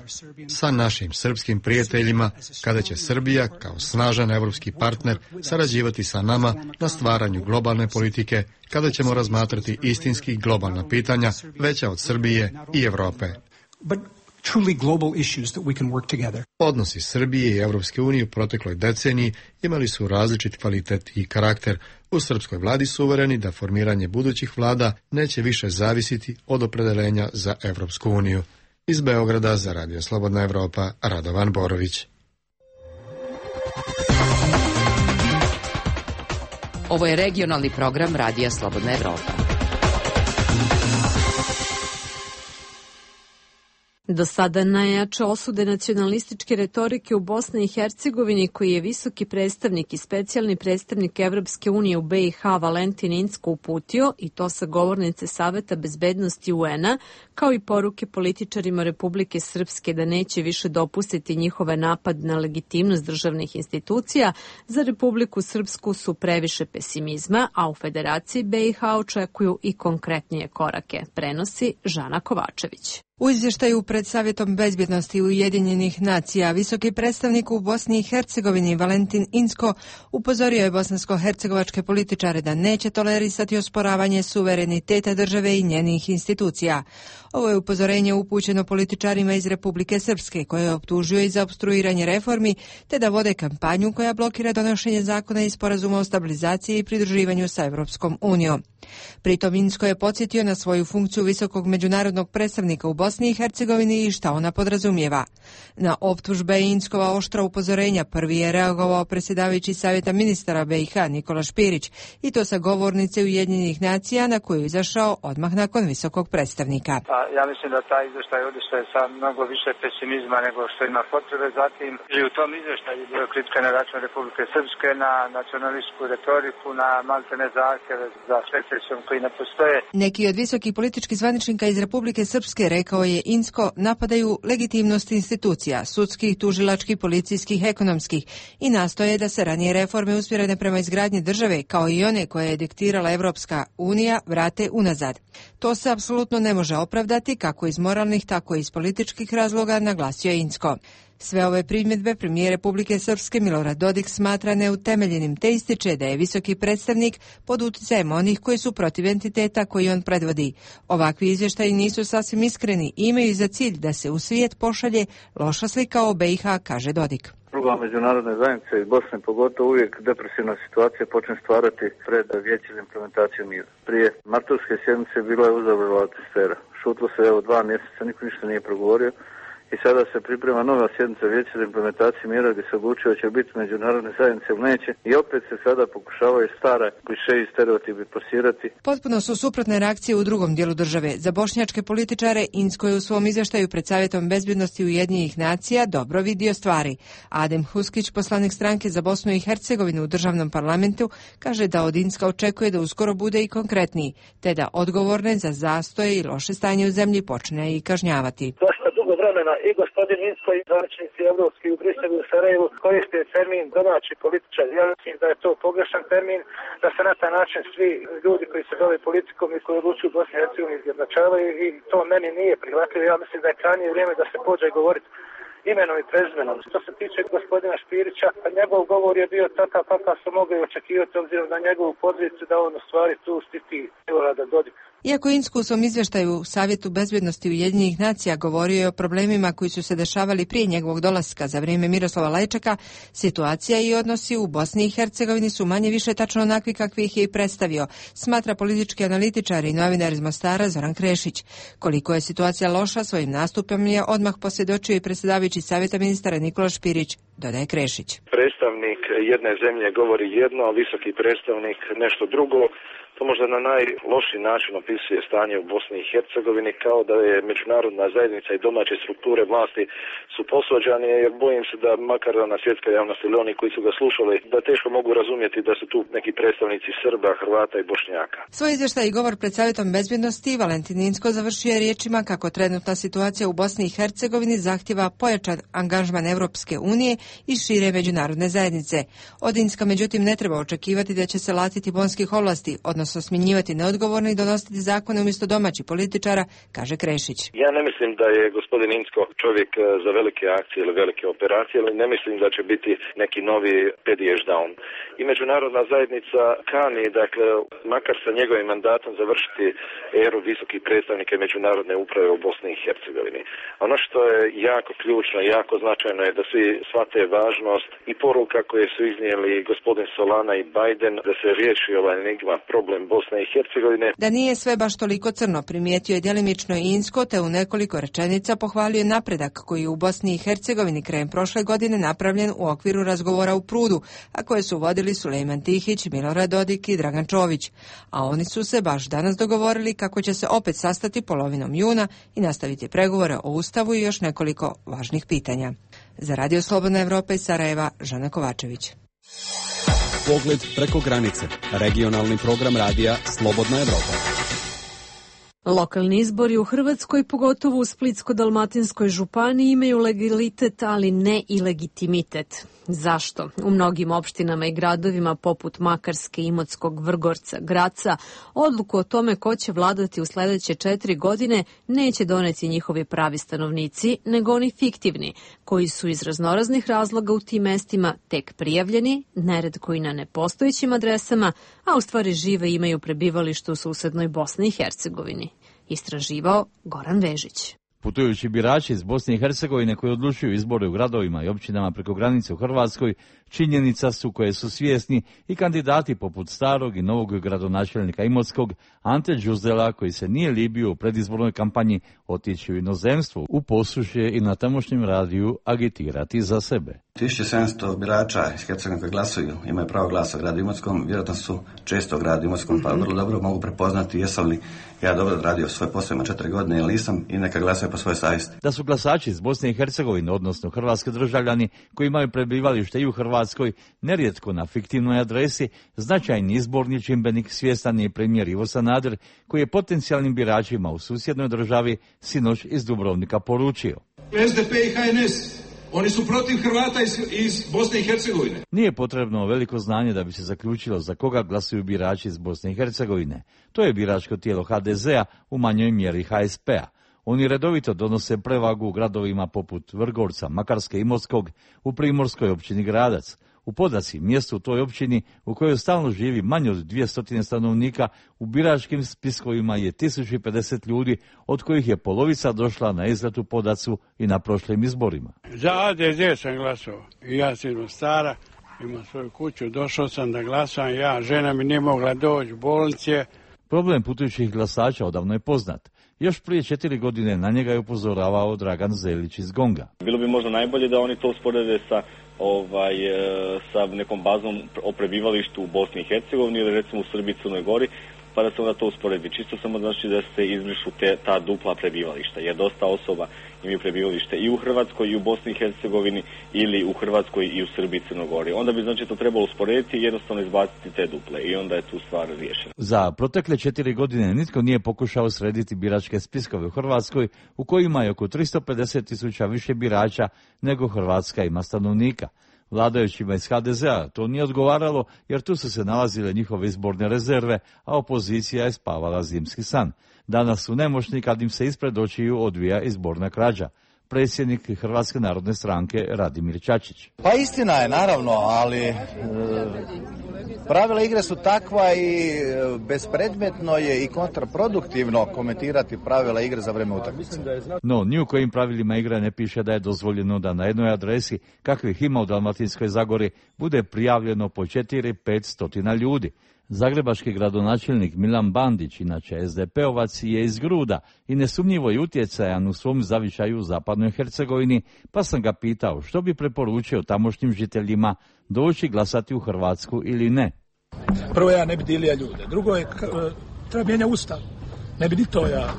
sa našim srpskim prijateljima, kada će Srbija kao snažan evropski partner sarađivati sa nama na stvaranju globalne politike, kada ćemo razmatrati istinski globalna pitanja veća od Srbije i Evrope. Odnosi Srbije i Evropske unije u protekloj deceniji imali su različit kvalitet i karakter. U srpskoj vladi su uvereni da formiranje budućih vlada neće više zavisiti od opredeljenja za Evropsku uniju. Iz Beograda za Radio Slobodna Evropa, Radovan Borović. Ovo je regionalni program Radija Slobodna Evropa. Do sada najjače osude nacionalističke retorike u Bosni i Hercegovini, koji je visoki predstavnik i specijalni predstavnik Evropske unije u BiH Valentin Incko uputio, i to sa govornice Saveta bezbednosti UN-a, kao i poruke političarima Republike Srpske da neće više dopustiti njihove napad na legitimnost državnih institucija, za Republiku Srpsku su previše pesimizma, a u Federaciji BiH očekuju i konkretnije korake, prenosi Žana Kovačević. U izvještaju pred Savjetom bezbjednosti Ujedinjenih nacija visoki predstavnik u Bosni i Hercegovini Valentin Incko upozorio je bosansko-hercegovačke političare da neće tolerisati osporavanje suvereniteta države i njenih institucija. Ovo je upozorenje upućeno političarima iz Republike Srpske, koje je optužio i za opstruiranje reformi, te da vode kampanju koja blokira donošenje zakona i sporazuma o stabilizaciji i pridruživanju sa Evropskom unijom. Pritom Incko je podsjetio na svoju funkciju visokog međunarodnog predstavnika u Bosni i Hercegovini i šta ona podrazumijeva. Na optužbe Inckova oštra upozorenja prvi je reagovao predsjedavajući Savjeta ministara BiH Nikola Špirić, i to sa govornice Ujedinjenih nacija na koju je izašao odmah nakon visokog predstavnika. Ja mislim da taj izvještaj odišao sa mnogo više pesimizma nego što ima potrebe. Zatim i u tom izvještaju bio kritika na račun Republike Srpske, na nacionalističku retoriku, na maltene zahtjeve za secesijom koji ne postoje. Neki od visokih političkih zvaničnika iz Republike Srpske, rekao je Incko, napadaju legitimnost institucija, sudskih, tužilačkih, policijskih, ekonomskih i nastoje da se ranije reforme usmjerene prema izgradnji države, kao i one koje je diktirala Evropska unija, vrate unazad. To se apsolutno ne može opravdati, kako iz moralnih, tako i iz političkih razloga, naglasio je Incko. Sve ove primjedbe premijer Republike Srpske Milorad Dodik smatra neutemeljenim, te ističe da je visoki predstavnik pod utjecajem onih koji su protiv entiteta koji on predvodi. Ovakvi izvještaji nisu sasvim iskreni i imaju za cilj da se u svijet pošalje loša slika o BiH, kaže Dodik. Druga međunarodne zajednice iz Bosne pogotovo uvijek depresivna situacija počne stvarati pred Vijeće za implementaciju mira. Prije martovske sjednice bila je uzavrla atmosfera. Šutlo se 2 mjeseca, niko ništa nije progovorio. I sada se priprema nova sjednica Vijeća za implementaciju mira gdje se odlučuje će biti međunarodne zajednice ili neće, i opet se sada pokušavaju stare kliše i stereotipi plasirati. Potpuno su suprotne reakcije u drugom dijelu države. Za bošnjačke političare Incko je u svom izvještaju pred Savjetom bezbjednosti Ujedinjenih nacija dobro vidio stvari. Adem Huskić, poslanik stranke za Bosnu i Hercegovinu u državnom parlamentu, kaže da od Incka očekuje da uskoro bude i konkretniji, te da odgovorne za zastoje i loše stanje u zemlji počne i kažnjavati. Vremena i gospodin Incko i zvaničnici evropski u Briselu i Sarajevu koriste termin domaći političar. Ja mislim da je to pogrešan termin, da se na taj način svi ljudi koji se bave politikom i koji odlučuju u Bosni i Hercegovini izjednačavaju, i to meni nije prihvatljivo. Ja mislim da je krajnje vrijeme da se pođe govoriti imenom i prezimenom. Što se tiče gospodina Špirića, njegov govor je bio takav kakav su mogli očekivati obzirom na njegovu poziciju da on u stvari tu štiti Milorada Dodika. Iako Insku u svom izvještaju u Savjetu bezbjednosti Ujedinjenih nacija govorio je o problemima koji su se dešavali prije njegovog dolaska za vrijeme Miroslava Lajčaka, situacija i odnosi u Bosni i Hercegovini su manje više tačno onakvi kakvi ih je i predstavio, smatra politički analitičar i novinar iz Mostara Zoran Krešić. Koliko je situacija loša, svojim nastupom je odmah posvjedočio i predsjedavajući Savjeta ministara Nikola Špirić, dodaje Krešić. Predstavnik jedne zemlje govori jedno, a visoki predstavnik nešto drugo. To možda na najlošiji način opisuje stanje u Bosni i Hercegovini, kao da je međunarodna zajednica i domaće strukture vlasti su posvađani, jer bojim se da makar na svjetska javnost ili oni koji su ga slušali, da teško mogu razumjeti da su tu neki predstavnici Srba, Hrvata i Bošnjaka. Svoj izvještaj i govor pred Savjetom bezbjednosti Valentin Incko završio je riječima kako trenutna situacija u Bosni i Hercegovini zahtjeva pojačan angažman Europske unije i šire međunarodne zajednice. Od Incka međutim ne treba očekivati da će se latiti bonskih ovlasti, odnosno smjenjivati neodgovorne i donositi zakone umjesto domaćih političara, kaže Krešić. Ja ne mislim da je gospodin Incko čovjek za velike akcije ili velike operacije, ali ne mislim da će biti neki novi pedijež down. I međunarodna zajednica kani, dakle, makar sa njegovim mandatom završiti eru visokih predstavnika međunarodne uprave u Bosni i Hercegovini. Ono što je jako ključno, jako značajno je da svi shvate važnost i poruka koje su iznijeli gospodin Solana i Biden da se riješi ovaj enigma, problem Bosne i Hercegovine. Da nije sve baš toliko crno, primijetio je djelimično i Incko, te u nekoliko rečenica pohvalio napredak koji je u Bosni i Hercegovini krajem prošle godine napravljen u okviru razgovora u Prudu, a koje su vodili Sulejman Tihić, Milorad Dodik i Dragan Čović. A oni su se baš danas dogovorili kako će se opet sastati polovinom juna i nastaviti pregovore o Ustavu i još nekoliko važnih pitanja. Za Radio Slobodna Evropa iz Sarajeva, Žana Kovačević. Pogled preko granice. Regionalni program radija Slobodna Evropa. Lokalni izbori u Hrvatskoj, pogotovo u Splitsko-dalmatinskoj županiji, imaju legalitet, ali ne i legitimitet. Zašto? U mnogim opštinama i gradovima poput Makarske, Imotskog, Vrgorca, Graca, odluku o tome ko će vladati u sljedeće 4 godine neće doneti njihovi pravi stanovnici, nego oni fiktivni, koji su iz raznoraznih razloga u tim mestima tek prijavljeni, neretko i na nepostojećim adresama, a u stvari žive i imaju prebivalište u susednoj Bosni i Hercegovini. Istraživao Goran Vežić. Putujući birači iz Bosne i Hercegovine koji odlučuju izbore u gradovima i općinama preko granice u Hrvatskoj, činjenica su koje su svjesni i kandidati poput starog i novog gradonačelnika Imotskog, Ante Đuzdela, koji se nije libio u predizbornoj kampanji otići u inozemstvo, u Posušje i na tamošnjem radiju agitirati za sebe. 1700 birača iz Hercegovine koji glasuju, imaju pravo glasa u gradu Imotskom, vjerojatno su često u gradu Imotskom, pa vrlo dobro mogu prepoznati jesam li ja dobro radio svoj posao, ima 4 godine ili nisam, i neka glasaju po svojoj savjesti. Da su glasači iz Bosne i Hercegovine, odnosno hrvatski državljani koji imaju prebivalište i u Hrvatskoj, nerijetko na fiktivnoj adresi, značajni izborni čimbenik, svjestan je premijer Ivo Sanader, koji je potencijalnim biračima u susjednoj državi sinoć iz Dubrovnika poručio: SDP i HNS, oni su protiv Hrvata iz Bosne i Hercegovine. Nije potrebno veliko znanje da bi se zaključilo za koga glasuju birači iz Bosne i Hercegovine. To je biračko tijelo HDZ-a, u manjoj mjeri HSP-a. Oni redovito donose prevagu u gradovima poput Vrgorca, Makarske i Imotskog, u primorskoj općini Gradac. U Podasi, mjestu u toj općini u kojoj stalno živi manje od 200 stanovnika, u biračkim spiskovima je 1050 ljudi, od kojih je polovica došla na izlet u Podacu i na prošlim izborima. Za ADZ sam glasao. Ja sam iz Mostara, imam svoju kuću, došao sam da glasam, žena mi nije mogla doći u bolnice. Problem putujućih glasača odavno je poznat. Još prije 4 godine na njega je upozoravao Dragan Zelić iz Gonga. Bilo bi možda najbolje da oni to usporede sa nekom bazom o prebivalištu u Bosni i Hercegovini ili recimo u Srbiji i Crnoj Gori, pa da se onda to usporedi. Čisto samo znači da se izbrišu ta dupla prebivališta, jer dosta osoba imaju prebivalište i u Hrvatskoj i u Bosni i Hercegovini ili u Hrvatskoj i u Srbiji i Crnoj Gori. Onda bi znači to trebalo usporediti i jednostavno izbaciti te duple i onda je tu stvar riješena. Za protekle 4 godine nitko nije pokušao srediti biračke spiskove u Hrvatskoj, u kojima je oko 350.000 više birača nego Hrvatska ima stanovnika. Vladajućima iz HDZ-a to nije odgovaralo, jer tu su se nalazile njihove izborne rezerve, a opozicija je spavala zimski san. Danas su nemoćni kad im se ispred očiju odvija izborna krađa. predsjednik Hrvatske narodne stranke Radimir Čačić. Pa istina je, naravno, ali pravila igre su takva i bespredmetno je i kontraproduktivno komentirati pravila igre za vrijeme utakmice. No, ni u kojim pravilima igre ne piše da je dozvoljeno da na jednoj adresi, kakvih ima u Dalmatinskoj Zagori, bude prijavljeno po 4-500 ljudi. Zagrebački gradonačelnik Milan Bandić, inače SDP-ovac, je iz Gruda i nesumnjivo je utjecajan u svom zavičaju u zapadnoj Hercegovini, pa sam ga pitao što bi preporučio tamošnjim žiteljima doći glasati u Hrvatsku ili ne. Prvo, ja ne bi dilija ljude. Drugo je, treba mijenjati Ustav. Ne bi ni to ja.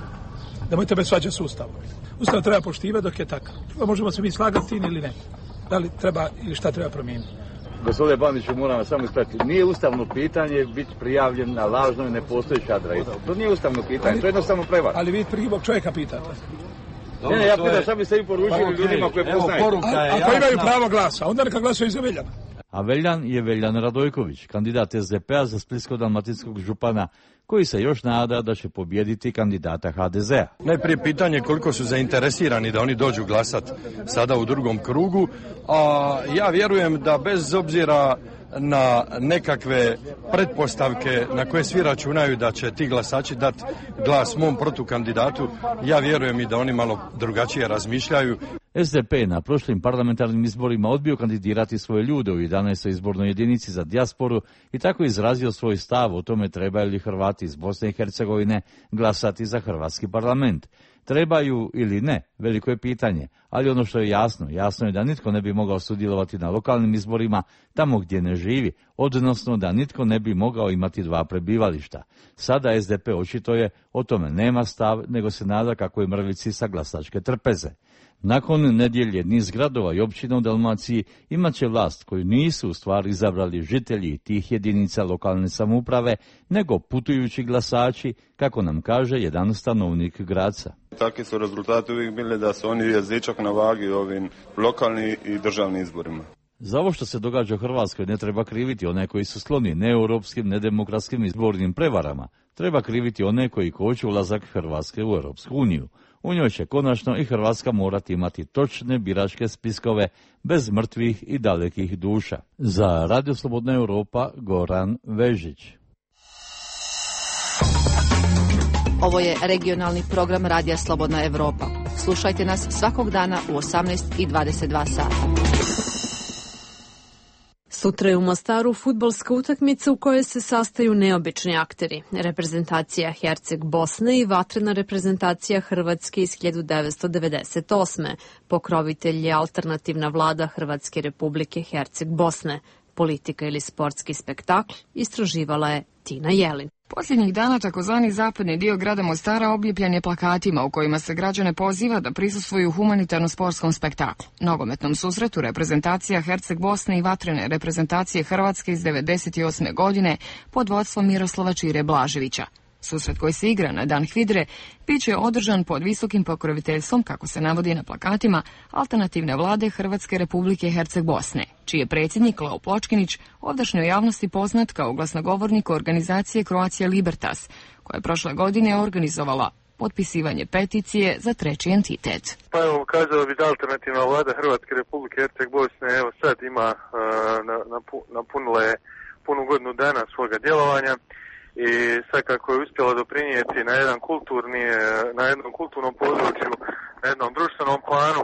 Nemojte me svađati s Ustavom. Ustav treba poštivati dok je takav. Možemo se mi slagati ili ne. Da li treba ili šta treba promijeniti. Gospodine Bandiću, moram vas samo ispratiti. Nije ustavno pitanje biti prijavljen na lažnoj nepostojećoj adresi. To nije ustavno pitanje, to je jednostavno prevara. Ali vi krivog čovjeka pitate. Ne, ja pitam šta bi se vi poručili ljudima koje poznajete. Ako imaju pravo glasa, onda neka glasuju za Veljana. A Veljan je Veljan Radojković, kandidat SDP-a za splitsko-dalmatinskog župana, koji se još nada da će pobijediti kandidata HDZ-a. Najprije pitanje koliko su zainteresirani da oni dođu glasat sada u drugom krugu, a ja vjerujem da bez obzira na nekakve pretpostavke na koje svi računaju da će ti glasači dati glas mom protukandidatu, ja vjerujem i da oni malo drugačije razmišljaju. SDP na prošlim parlamentarnim izborima odbio kandidirati svoje ljude u 11. izbornoj jedinici za dijasporu i tako izrazio svoj stav o tome trebaju li Hrvati iz Bosne i Hercegovine glasati za hrvatski parlament. Trebaju ili ne, veliko je pitanje, ali ono što je jasno je da nitko ne bi mogao sudjelovati na lokalnim izborima tamo gdje ne živi, odnosno da nitko ne bi mogao imati dva prebivališta. Sada SDP očito je o tome nema stav, nego se nada kako je mrvici sa glasačke trpeze. Nakon nedjelje niz gradova i općina u Dalmaciji imat će vlast koju nisu u stvari izabrali žitelji tih jedinica lokalne samouprave, nego putujući glasači, kako nam kaže jedan stanovnik Graca. Takvi su rezultati uvijek bili da su oni jezičak na vagi u ovim lokalnim i državnim izborima. Za ovo što se događa u Hrvatskoj ne treba kriviti one koji su skloni neeuropskim, nedemokratskim izbornim prevarama. Treba kriviti one koji koče ulazak Hrvatske u Europsku uniju. U njoj će konačno i Hrvatska morati imati točne biračke spiskove bez mrtvih i dalekih duša. Za Radio Slobodna Europa, Goran Vežić. Ovo je regionalni program Radija Slobodna Europa. Slušajte nas svakog dana u 18:22 sata. Sutra je u Mostaru fudbalska utakmica u kojoj se sastaju neobični akteri. Reprezentacija Herceg Bosne i vatrena reprezentacija Hrvatske iz 1998. Pokrovitelj je alternativna vlada Hrvatske Republike Herceg Bosne. Politika ili sportski spektakl istraživala je Tina Jelin. Posljednjih dana takozvani zapadni dio grada Mostara obljepljen je plakatima u kojima se građane poziva da prisustvuju humanitarno-sportskom spektaklu. Nogometnom susretu reprezentacija Herceg Bosne i vatrene reprezentacije Hrvatske iz 1998. godine pod vodstvom Miroslava Čire Blaževića. Susret koji se igra na Dan HVIDRE bit će održan pod visokim pokroviteljstvom, kako se navodi na plakatima, alternativne vlade Hrvatske Republike Herceg Bosne, čiji je predsjednik Leo Pločkinić ovdašnjoj javnosti poznat kao glasnogovornik organizacije Croatia Libertas, koja je prošle godine organizovala potpisivanje peticije za treći entitet. Pa evo, kazao bi da alternativna vlada Hrvatske Republike Herceg Bosne evo sad ima napunila je punu godinu dana svoga djelovanja. I sad kako je uspjela doprinijeti na jednom kulturnom području, na jednom društvenom planu,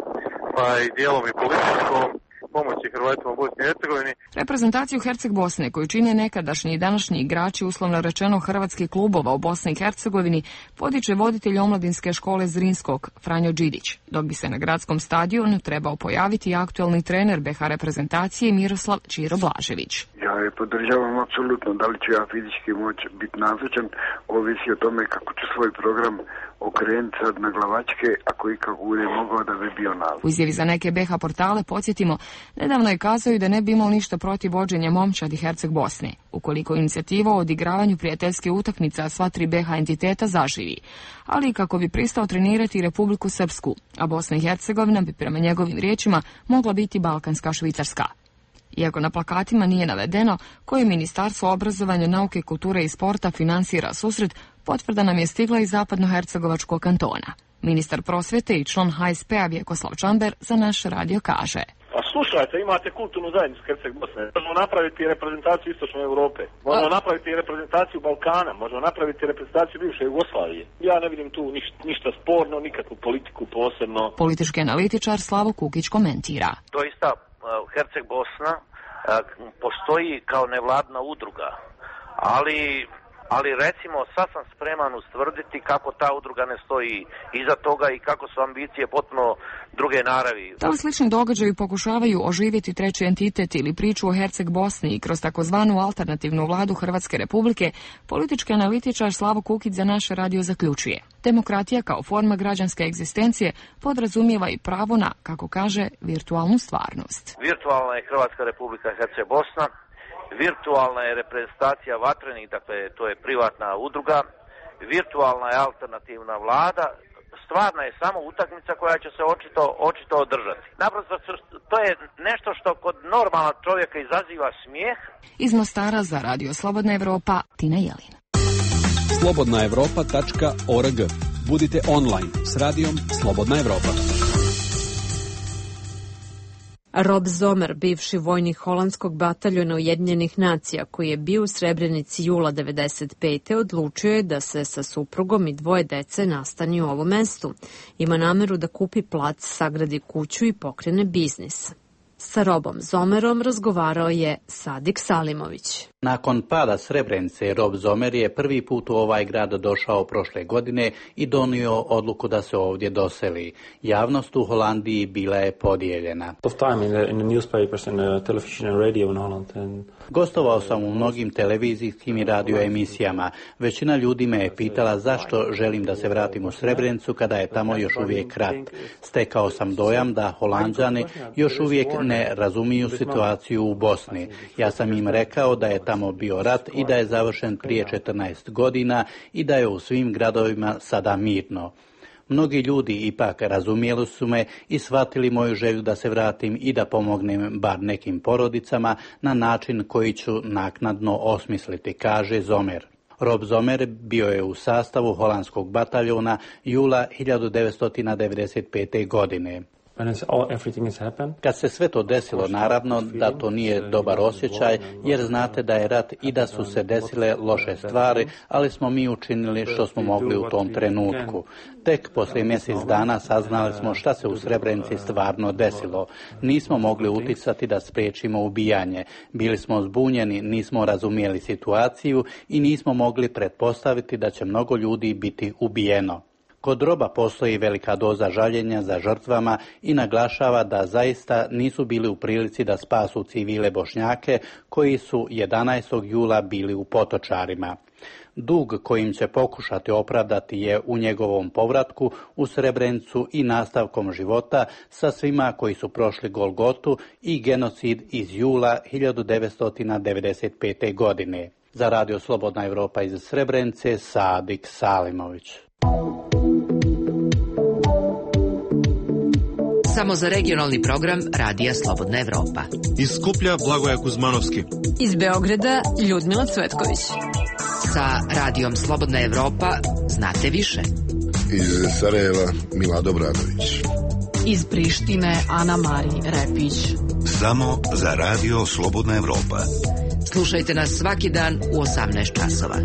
pa i dijelom i političkom, pomoći Hrvatima u Bosni i Hercegovini. Reprezentaciju Herceg Bosne, koju čine nekadašnji i današnji igrači uslovno rečeno hrvatskih klubova u Bosni i Hercegovini, podiče voditelj omladinske škole Zrinskog, Franjo Đidić, dok bi se na gradskom stadionu trebao pojaviti aktualni trener BH reprezentacije Miroslav Čiro Blažević. Ja je podržavam apsolutno, da li ću ja fizički moći biti nazočan, ovisi o tome kako ću svoj program okrenuti sad na glavačke, ako i kako bude mogao da bi bio nazočan. U izjavi za neke BH portale, podsjetimo, nedavno je kazao i da ne bi imao ništa protiv vođenja momčadi Herceg Bosne, ukoliko inicijativa o odigravanju prijateljske utakmice sva tri BH entiteta zaživi, ali i kako bi pristao trenirati Republiku Srpsku, a Bosna i Hercegovina bi prema njegovim riječima mogla biti balkanska Švicarska. Iako na plakatima nije navedeno koje Ministarstvo obrazovanja, nauke, kulture i sporta finansira susret, Potvrda nam je stigla iz zapadnohercegovačkog kantona. Ministar prosvjete i član HSP-a Vjekoslav Čamber za naš radio kaže: A slušajte, imate kulturnu zajednicu Herceg Bosne. Možemo napraviti reprezentaciju Istočne Europe. Možemo napraviti reprezentaciju Balkana. Možemo napraviti reprezentaciju bivše Jugoslavije. Ja ne vidim tu ništa sporno, nikakvu politiku posebno. Politički analitičar Slavo Kukić komentira: Doista Herceg Bosna postoji kao nevladna udruga, ali recimo sad sam spreman ustvrditi kako ta udruga ne stoji iza toga i kako su ambicije potpuno druge naravi. Da li slični događaji pokušavaju oživjeti treći entitet ili priču o Herceg Bosni i kroz takozvanu alternativnu vladu Hrvatske Republike, politički analitičar Slavo Kukić za naš radio zaključuje: demokratija kao forma građanske egzistencije podrazumijeva i pravo na, kako kaže, virtualnu stvarnost. Virtualna je Hrvatska Republika Herceg Bosna. Virtualna je reprezentacija Vatrenih, dakle to je privatna udruga, virtualna je alternativna vlada, stvarna je samo utakmica koja će se očito održati. Naprosto to je nešto što kod normalnog čovjeka izaziva smijeh. Iz Mostara za Radio Slobodna Evropa, Tina Jelin. slobodnaevropa.org. Budite online s radijom Slobodna Evropa. Rob Zomer, bivši vojnik holandskog bataljona Ujedinjenih nacija koji je bio u Srebrenici jula 1995. odlučio je da se sa suprugom i 2 dece nastani u ovom mestu. Ima nameru da kupi plac, sagradi kuću i pokrene biznis. Sa Robom Zomerom razgovarao je Sadik Salimović. Nakon pada Srebrenice, Rob Zomer je prvi put u ovaj grad došao prošle godine i donio odluku da se ovdje doseli. Javnost u Holandiji bila je podijeljena. Gostovao sam u mnogim televizijskim i radio emisijama. Većina ljudi me je pitala zašto želim da se vratim u Srebrenicu kada je tamo još uvijek rat. Stekao sam dojam da Holanđani još uvijek ne razumiju situaciju u Bosni. Ja sam im rekao da je tamo bio rat i da je završen prije 14 godina i da je u svim gradovima sada mirno. Mnogi ljudi ipak razumjeli su me i shvatili moju želju da se vratim i da pomognem bar nekim porodicama na način koji ću naknadno osmisliti, kaže Zomer. Rob Zomer bio je u sastavu holandskog bataljona jula 1995. godine. Kad se sve to desilo, naravno da to nije dobar osjećaj, jer znate da je rat i da su se desile loše stvari, ali smo mi učinili što smo mogli u tom trenutku. Tek poslije mjesec dana saznali smo šta se u Srebrenici stvarno desilo. Nismo mogli utjecati da spriječimo ubijanje. Bili smo zbunjeni, nismo razumjeli situaciju i nismo mogli pretpostaviti da će mnogo ljudi biti ubijeno. Kod Roba postoji velika doza žaljenja za žrtvama i naglašava da zaista nisu bili u prilici da spasu civile Bošnjake koji su 11. jula bili u Potočarima. Dug kojim će pokušati opravdati je u njegovom povratku u Srebrenicu i nastavkom života sa svima koji su prošli Golgotu i genocid iz jula 1995. godine. Za Radio Slobodna Evropa iz Srebrenice, Sadik Salimović. Samo za regionalni program Radija Slobodna Evropa. Iz Skuplja Blagoja Kuzmanovski. Iz Beograda Ljudmila Cvetković. Sa Radijom Slobodna Evropa znate više. Iz Sarajeva Milado Bradović. Iz Prištine Ana Mari Repić. Samo za Radio Slobodna Evropa. Slušajte nas svaki dan u 18 časova.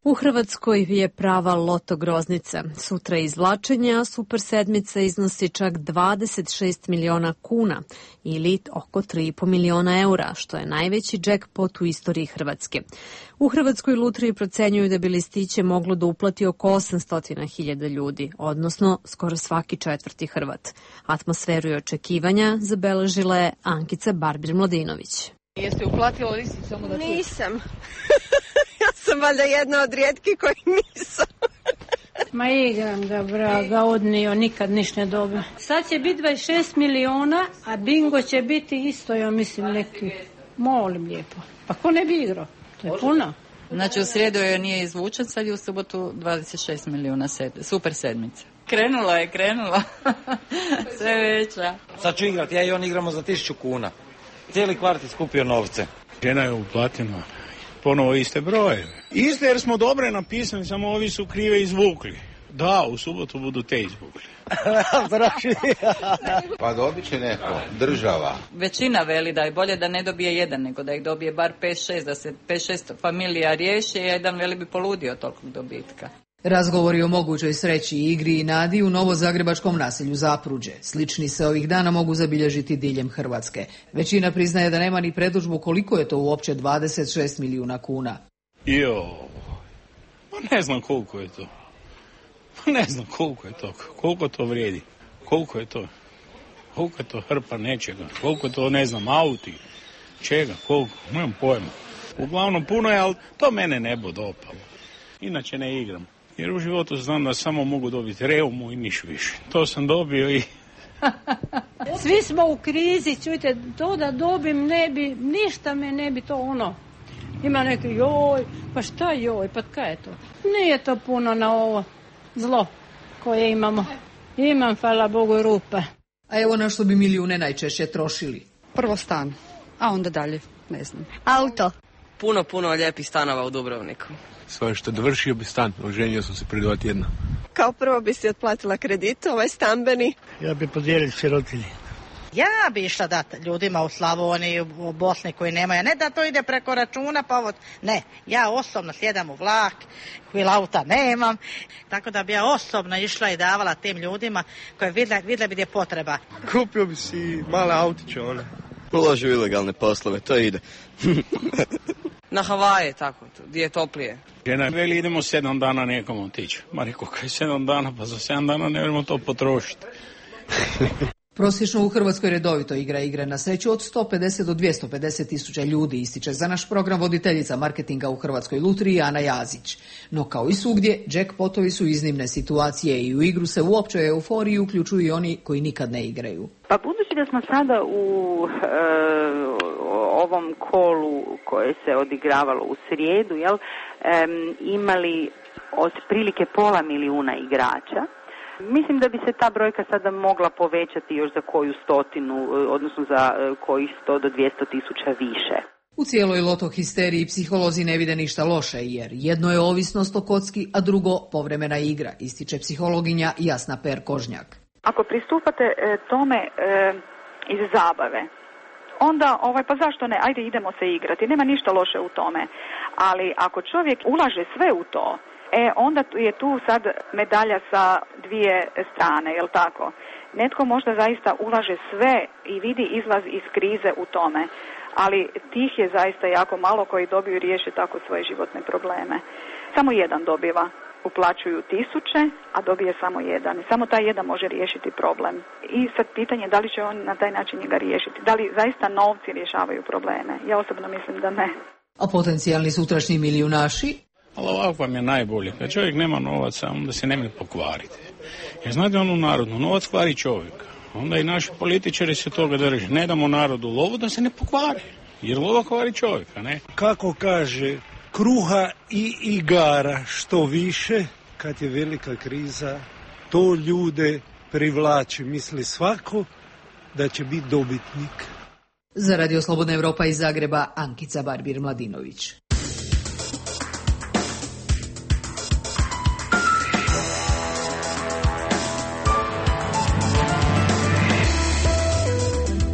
U Hrvatskoj je prava loto groznica. Sutra izvlačenja, super sedmica iznosi čak 26 miliona kuna ili oko 3,5 miliona eura, što je najveći jackpot u istoriji Hrvatske. U Hrvatskoj lutriji procenjuju da bi listiće moglo da uplati oko 800.000 ljudi, odnosno skoro svaki četvrti Hrvat. Atmosferu i očekivanja zabeležila je Ankica Barbir-Mladinović. Jeste uplatila listić samo da čuješ? Nisam. Ja sam valjda jedna od rijetkih koji nisam. Ma igram ga, vraga, odnio, nikad ništa ne dobe. Sad će biti 26 miliona, a bingo će biti isto, ja mislim, neki. Molim lijepo. Pa ko ne bi igrao? To je puno. Znači u srijedu je nije izvučen, sad je u subotu 26 milijuna super sedmica. Krenula je. Sve veća. Sad ću igrati, ja i on igramo za 1000 kuna. Cijeli kvart je skupio novce. Žena je uplatila ponovo iste broje. Iste jer smo dobre napisali, samo ovi su krive izvukli. Da, u subotu budu te izvukli. Pa dobit će neko, država. Većina veli da je bolje da ne dobije jedan, nego da ih dobije bar 5-6, da se 5-6 familija riješi, a jedan veli bi poludio tolikog dobitka. Razgovori o mogućoj sreći, igri i nadi u novozagrebačkom naselju Zapruđe. Slični se ovih dana mogu zabilježiti diljem Hrvatske. Većina priznaje da nema ni predodžbu koliko je to uopće 26 milijuna kuna. Pa ne znam koliko je to. Ne znam koliko je to, koliko to vrijedi, koliko je to hrpa nečega, koliko je to, ne znam, auti, čega, koliko, nemam pojma. Uglavnom puno je, ali to mene ne bude opalo. Inače ne igram, jer u životu znam da samo mogu dobiti reumu i niš više. To sam dobio i... Svi smo u krizi, čujte, to da dobim ne bi, ništa me ne bi to ono. Ima neki joj, pa šta joj, pa kaj je to? Nije to puno na ovo zlo koje imamo. Imam, hvala Bogu, rupe. A evo na što bi milijune najčešće trošili. Prvo stan, a onda dalje, ne znam. Auto. Puno lijepih stanova u Dubrovniku. Svoje što dovršio bi stan, oženio sam se prije 2 tjedna. Kao prvo bi si otplatila kredit, stambeni. Ja bi podijelio sirotinji. Ja bi išla dati ljudima u Slavoniji, u Bosni koji nemaju. Ne da to ide preko računa, pa ne. Ja osobno sjedam u vlak, hvil auta nemam. Tako da bi ja osobno išla i davala tim ljudima koje vidjela bi gdje je potreba. Kupio bi si male autiće, one. Uloži u ilegalne poslove, to ide. Na Havaje, tako, gdje je toplije. Žena veli idemo 7 dana nekom otići. Ma rekao, kaj 7 dana, pa za 7 dana ne možemo to potrošiti. Prosječno u Hrvatskoj redovito igra igre na sreću od 150 do 250 tisuća ljudi, ističe za naš program voditeljica marketinga u Hrvatskoj lutriji Ana Jazić. No kao i svugdje, jackpotovi su iznimne situacije i u igru se u općoj euforiji uključuju i oni koji nikad ne igraju. Pa budući da smo sada u ovom kolu koje se odigravalo u srijedu, imali otprilike 500.000 igrača, mislim da bi se ta brojka sada mogla povećati još za koju stotinu, odnosno za kojih 100 do 200 tisuća više. U cijeloj loto histeriji psiholozi ne vide ništa loše, jer jedno je ovisnost o kocki, a drugo povremena igra, ističe psihologinja Jasna Per-Kožnjak. Ako pristupate tome iz zabave, onda pa zašto ne, ajde idemo se igrati, nema ništa loše u tome. Ali ako čovjek ulaže sve u to, onda je tu sad medalja sa dvije strane, jel tako? Netko možda zaista ulaže sve i vidi izlaz iz krize u tome, ali tih je zaista jako malo koji dobiju i riješe tako svoje životne probleme. Samo jedan dobiva, uplaćuju 1000, a dobije samo jedan. Samo taj jedan može riješiti problem. I sad pitanje da li će on na taj način njega riješiti. Da li zaista novci rješavaju probleme? Ja osobno mislim da ne. A potencijalni sutrašnji milijunaši? Ali ovako vam je najbolje. Kad čovjek nema novaca, onda se ne može pokvariti. Jer znate onu narodnu, novac kvari čovjeka. Onda i naši političari se toga drže. Ne damo narodu lovu da se ne pokvari. Jer lova kvari čovjeka, ne? Kako kaže, kruha i igara što više, kad je velika kriza, to ljude privlači. Misli svako da će biti dobitnik. Za Radio Slobodna Evropa iz Zagreba, Ankica Barbir-Mladinović.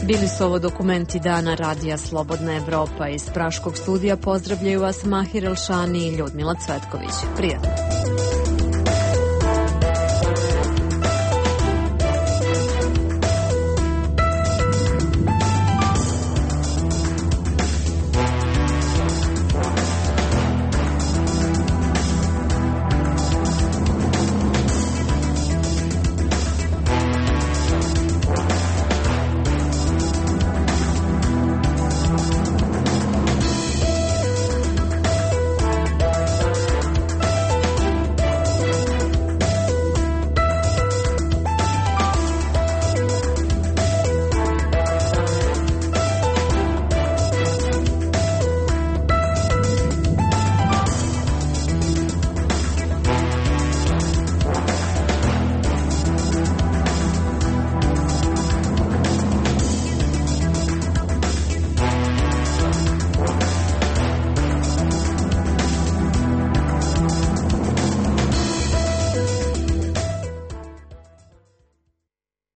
Bili su ovo dokumenti dana Radija Slobodna Evropa. Iz praškog studija pozdravljaju vas Mahir Elšani i Ljudmila Cvetković. Prijatno.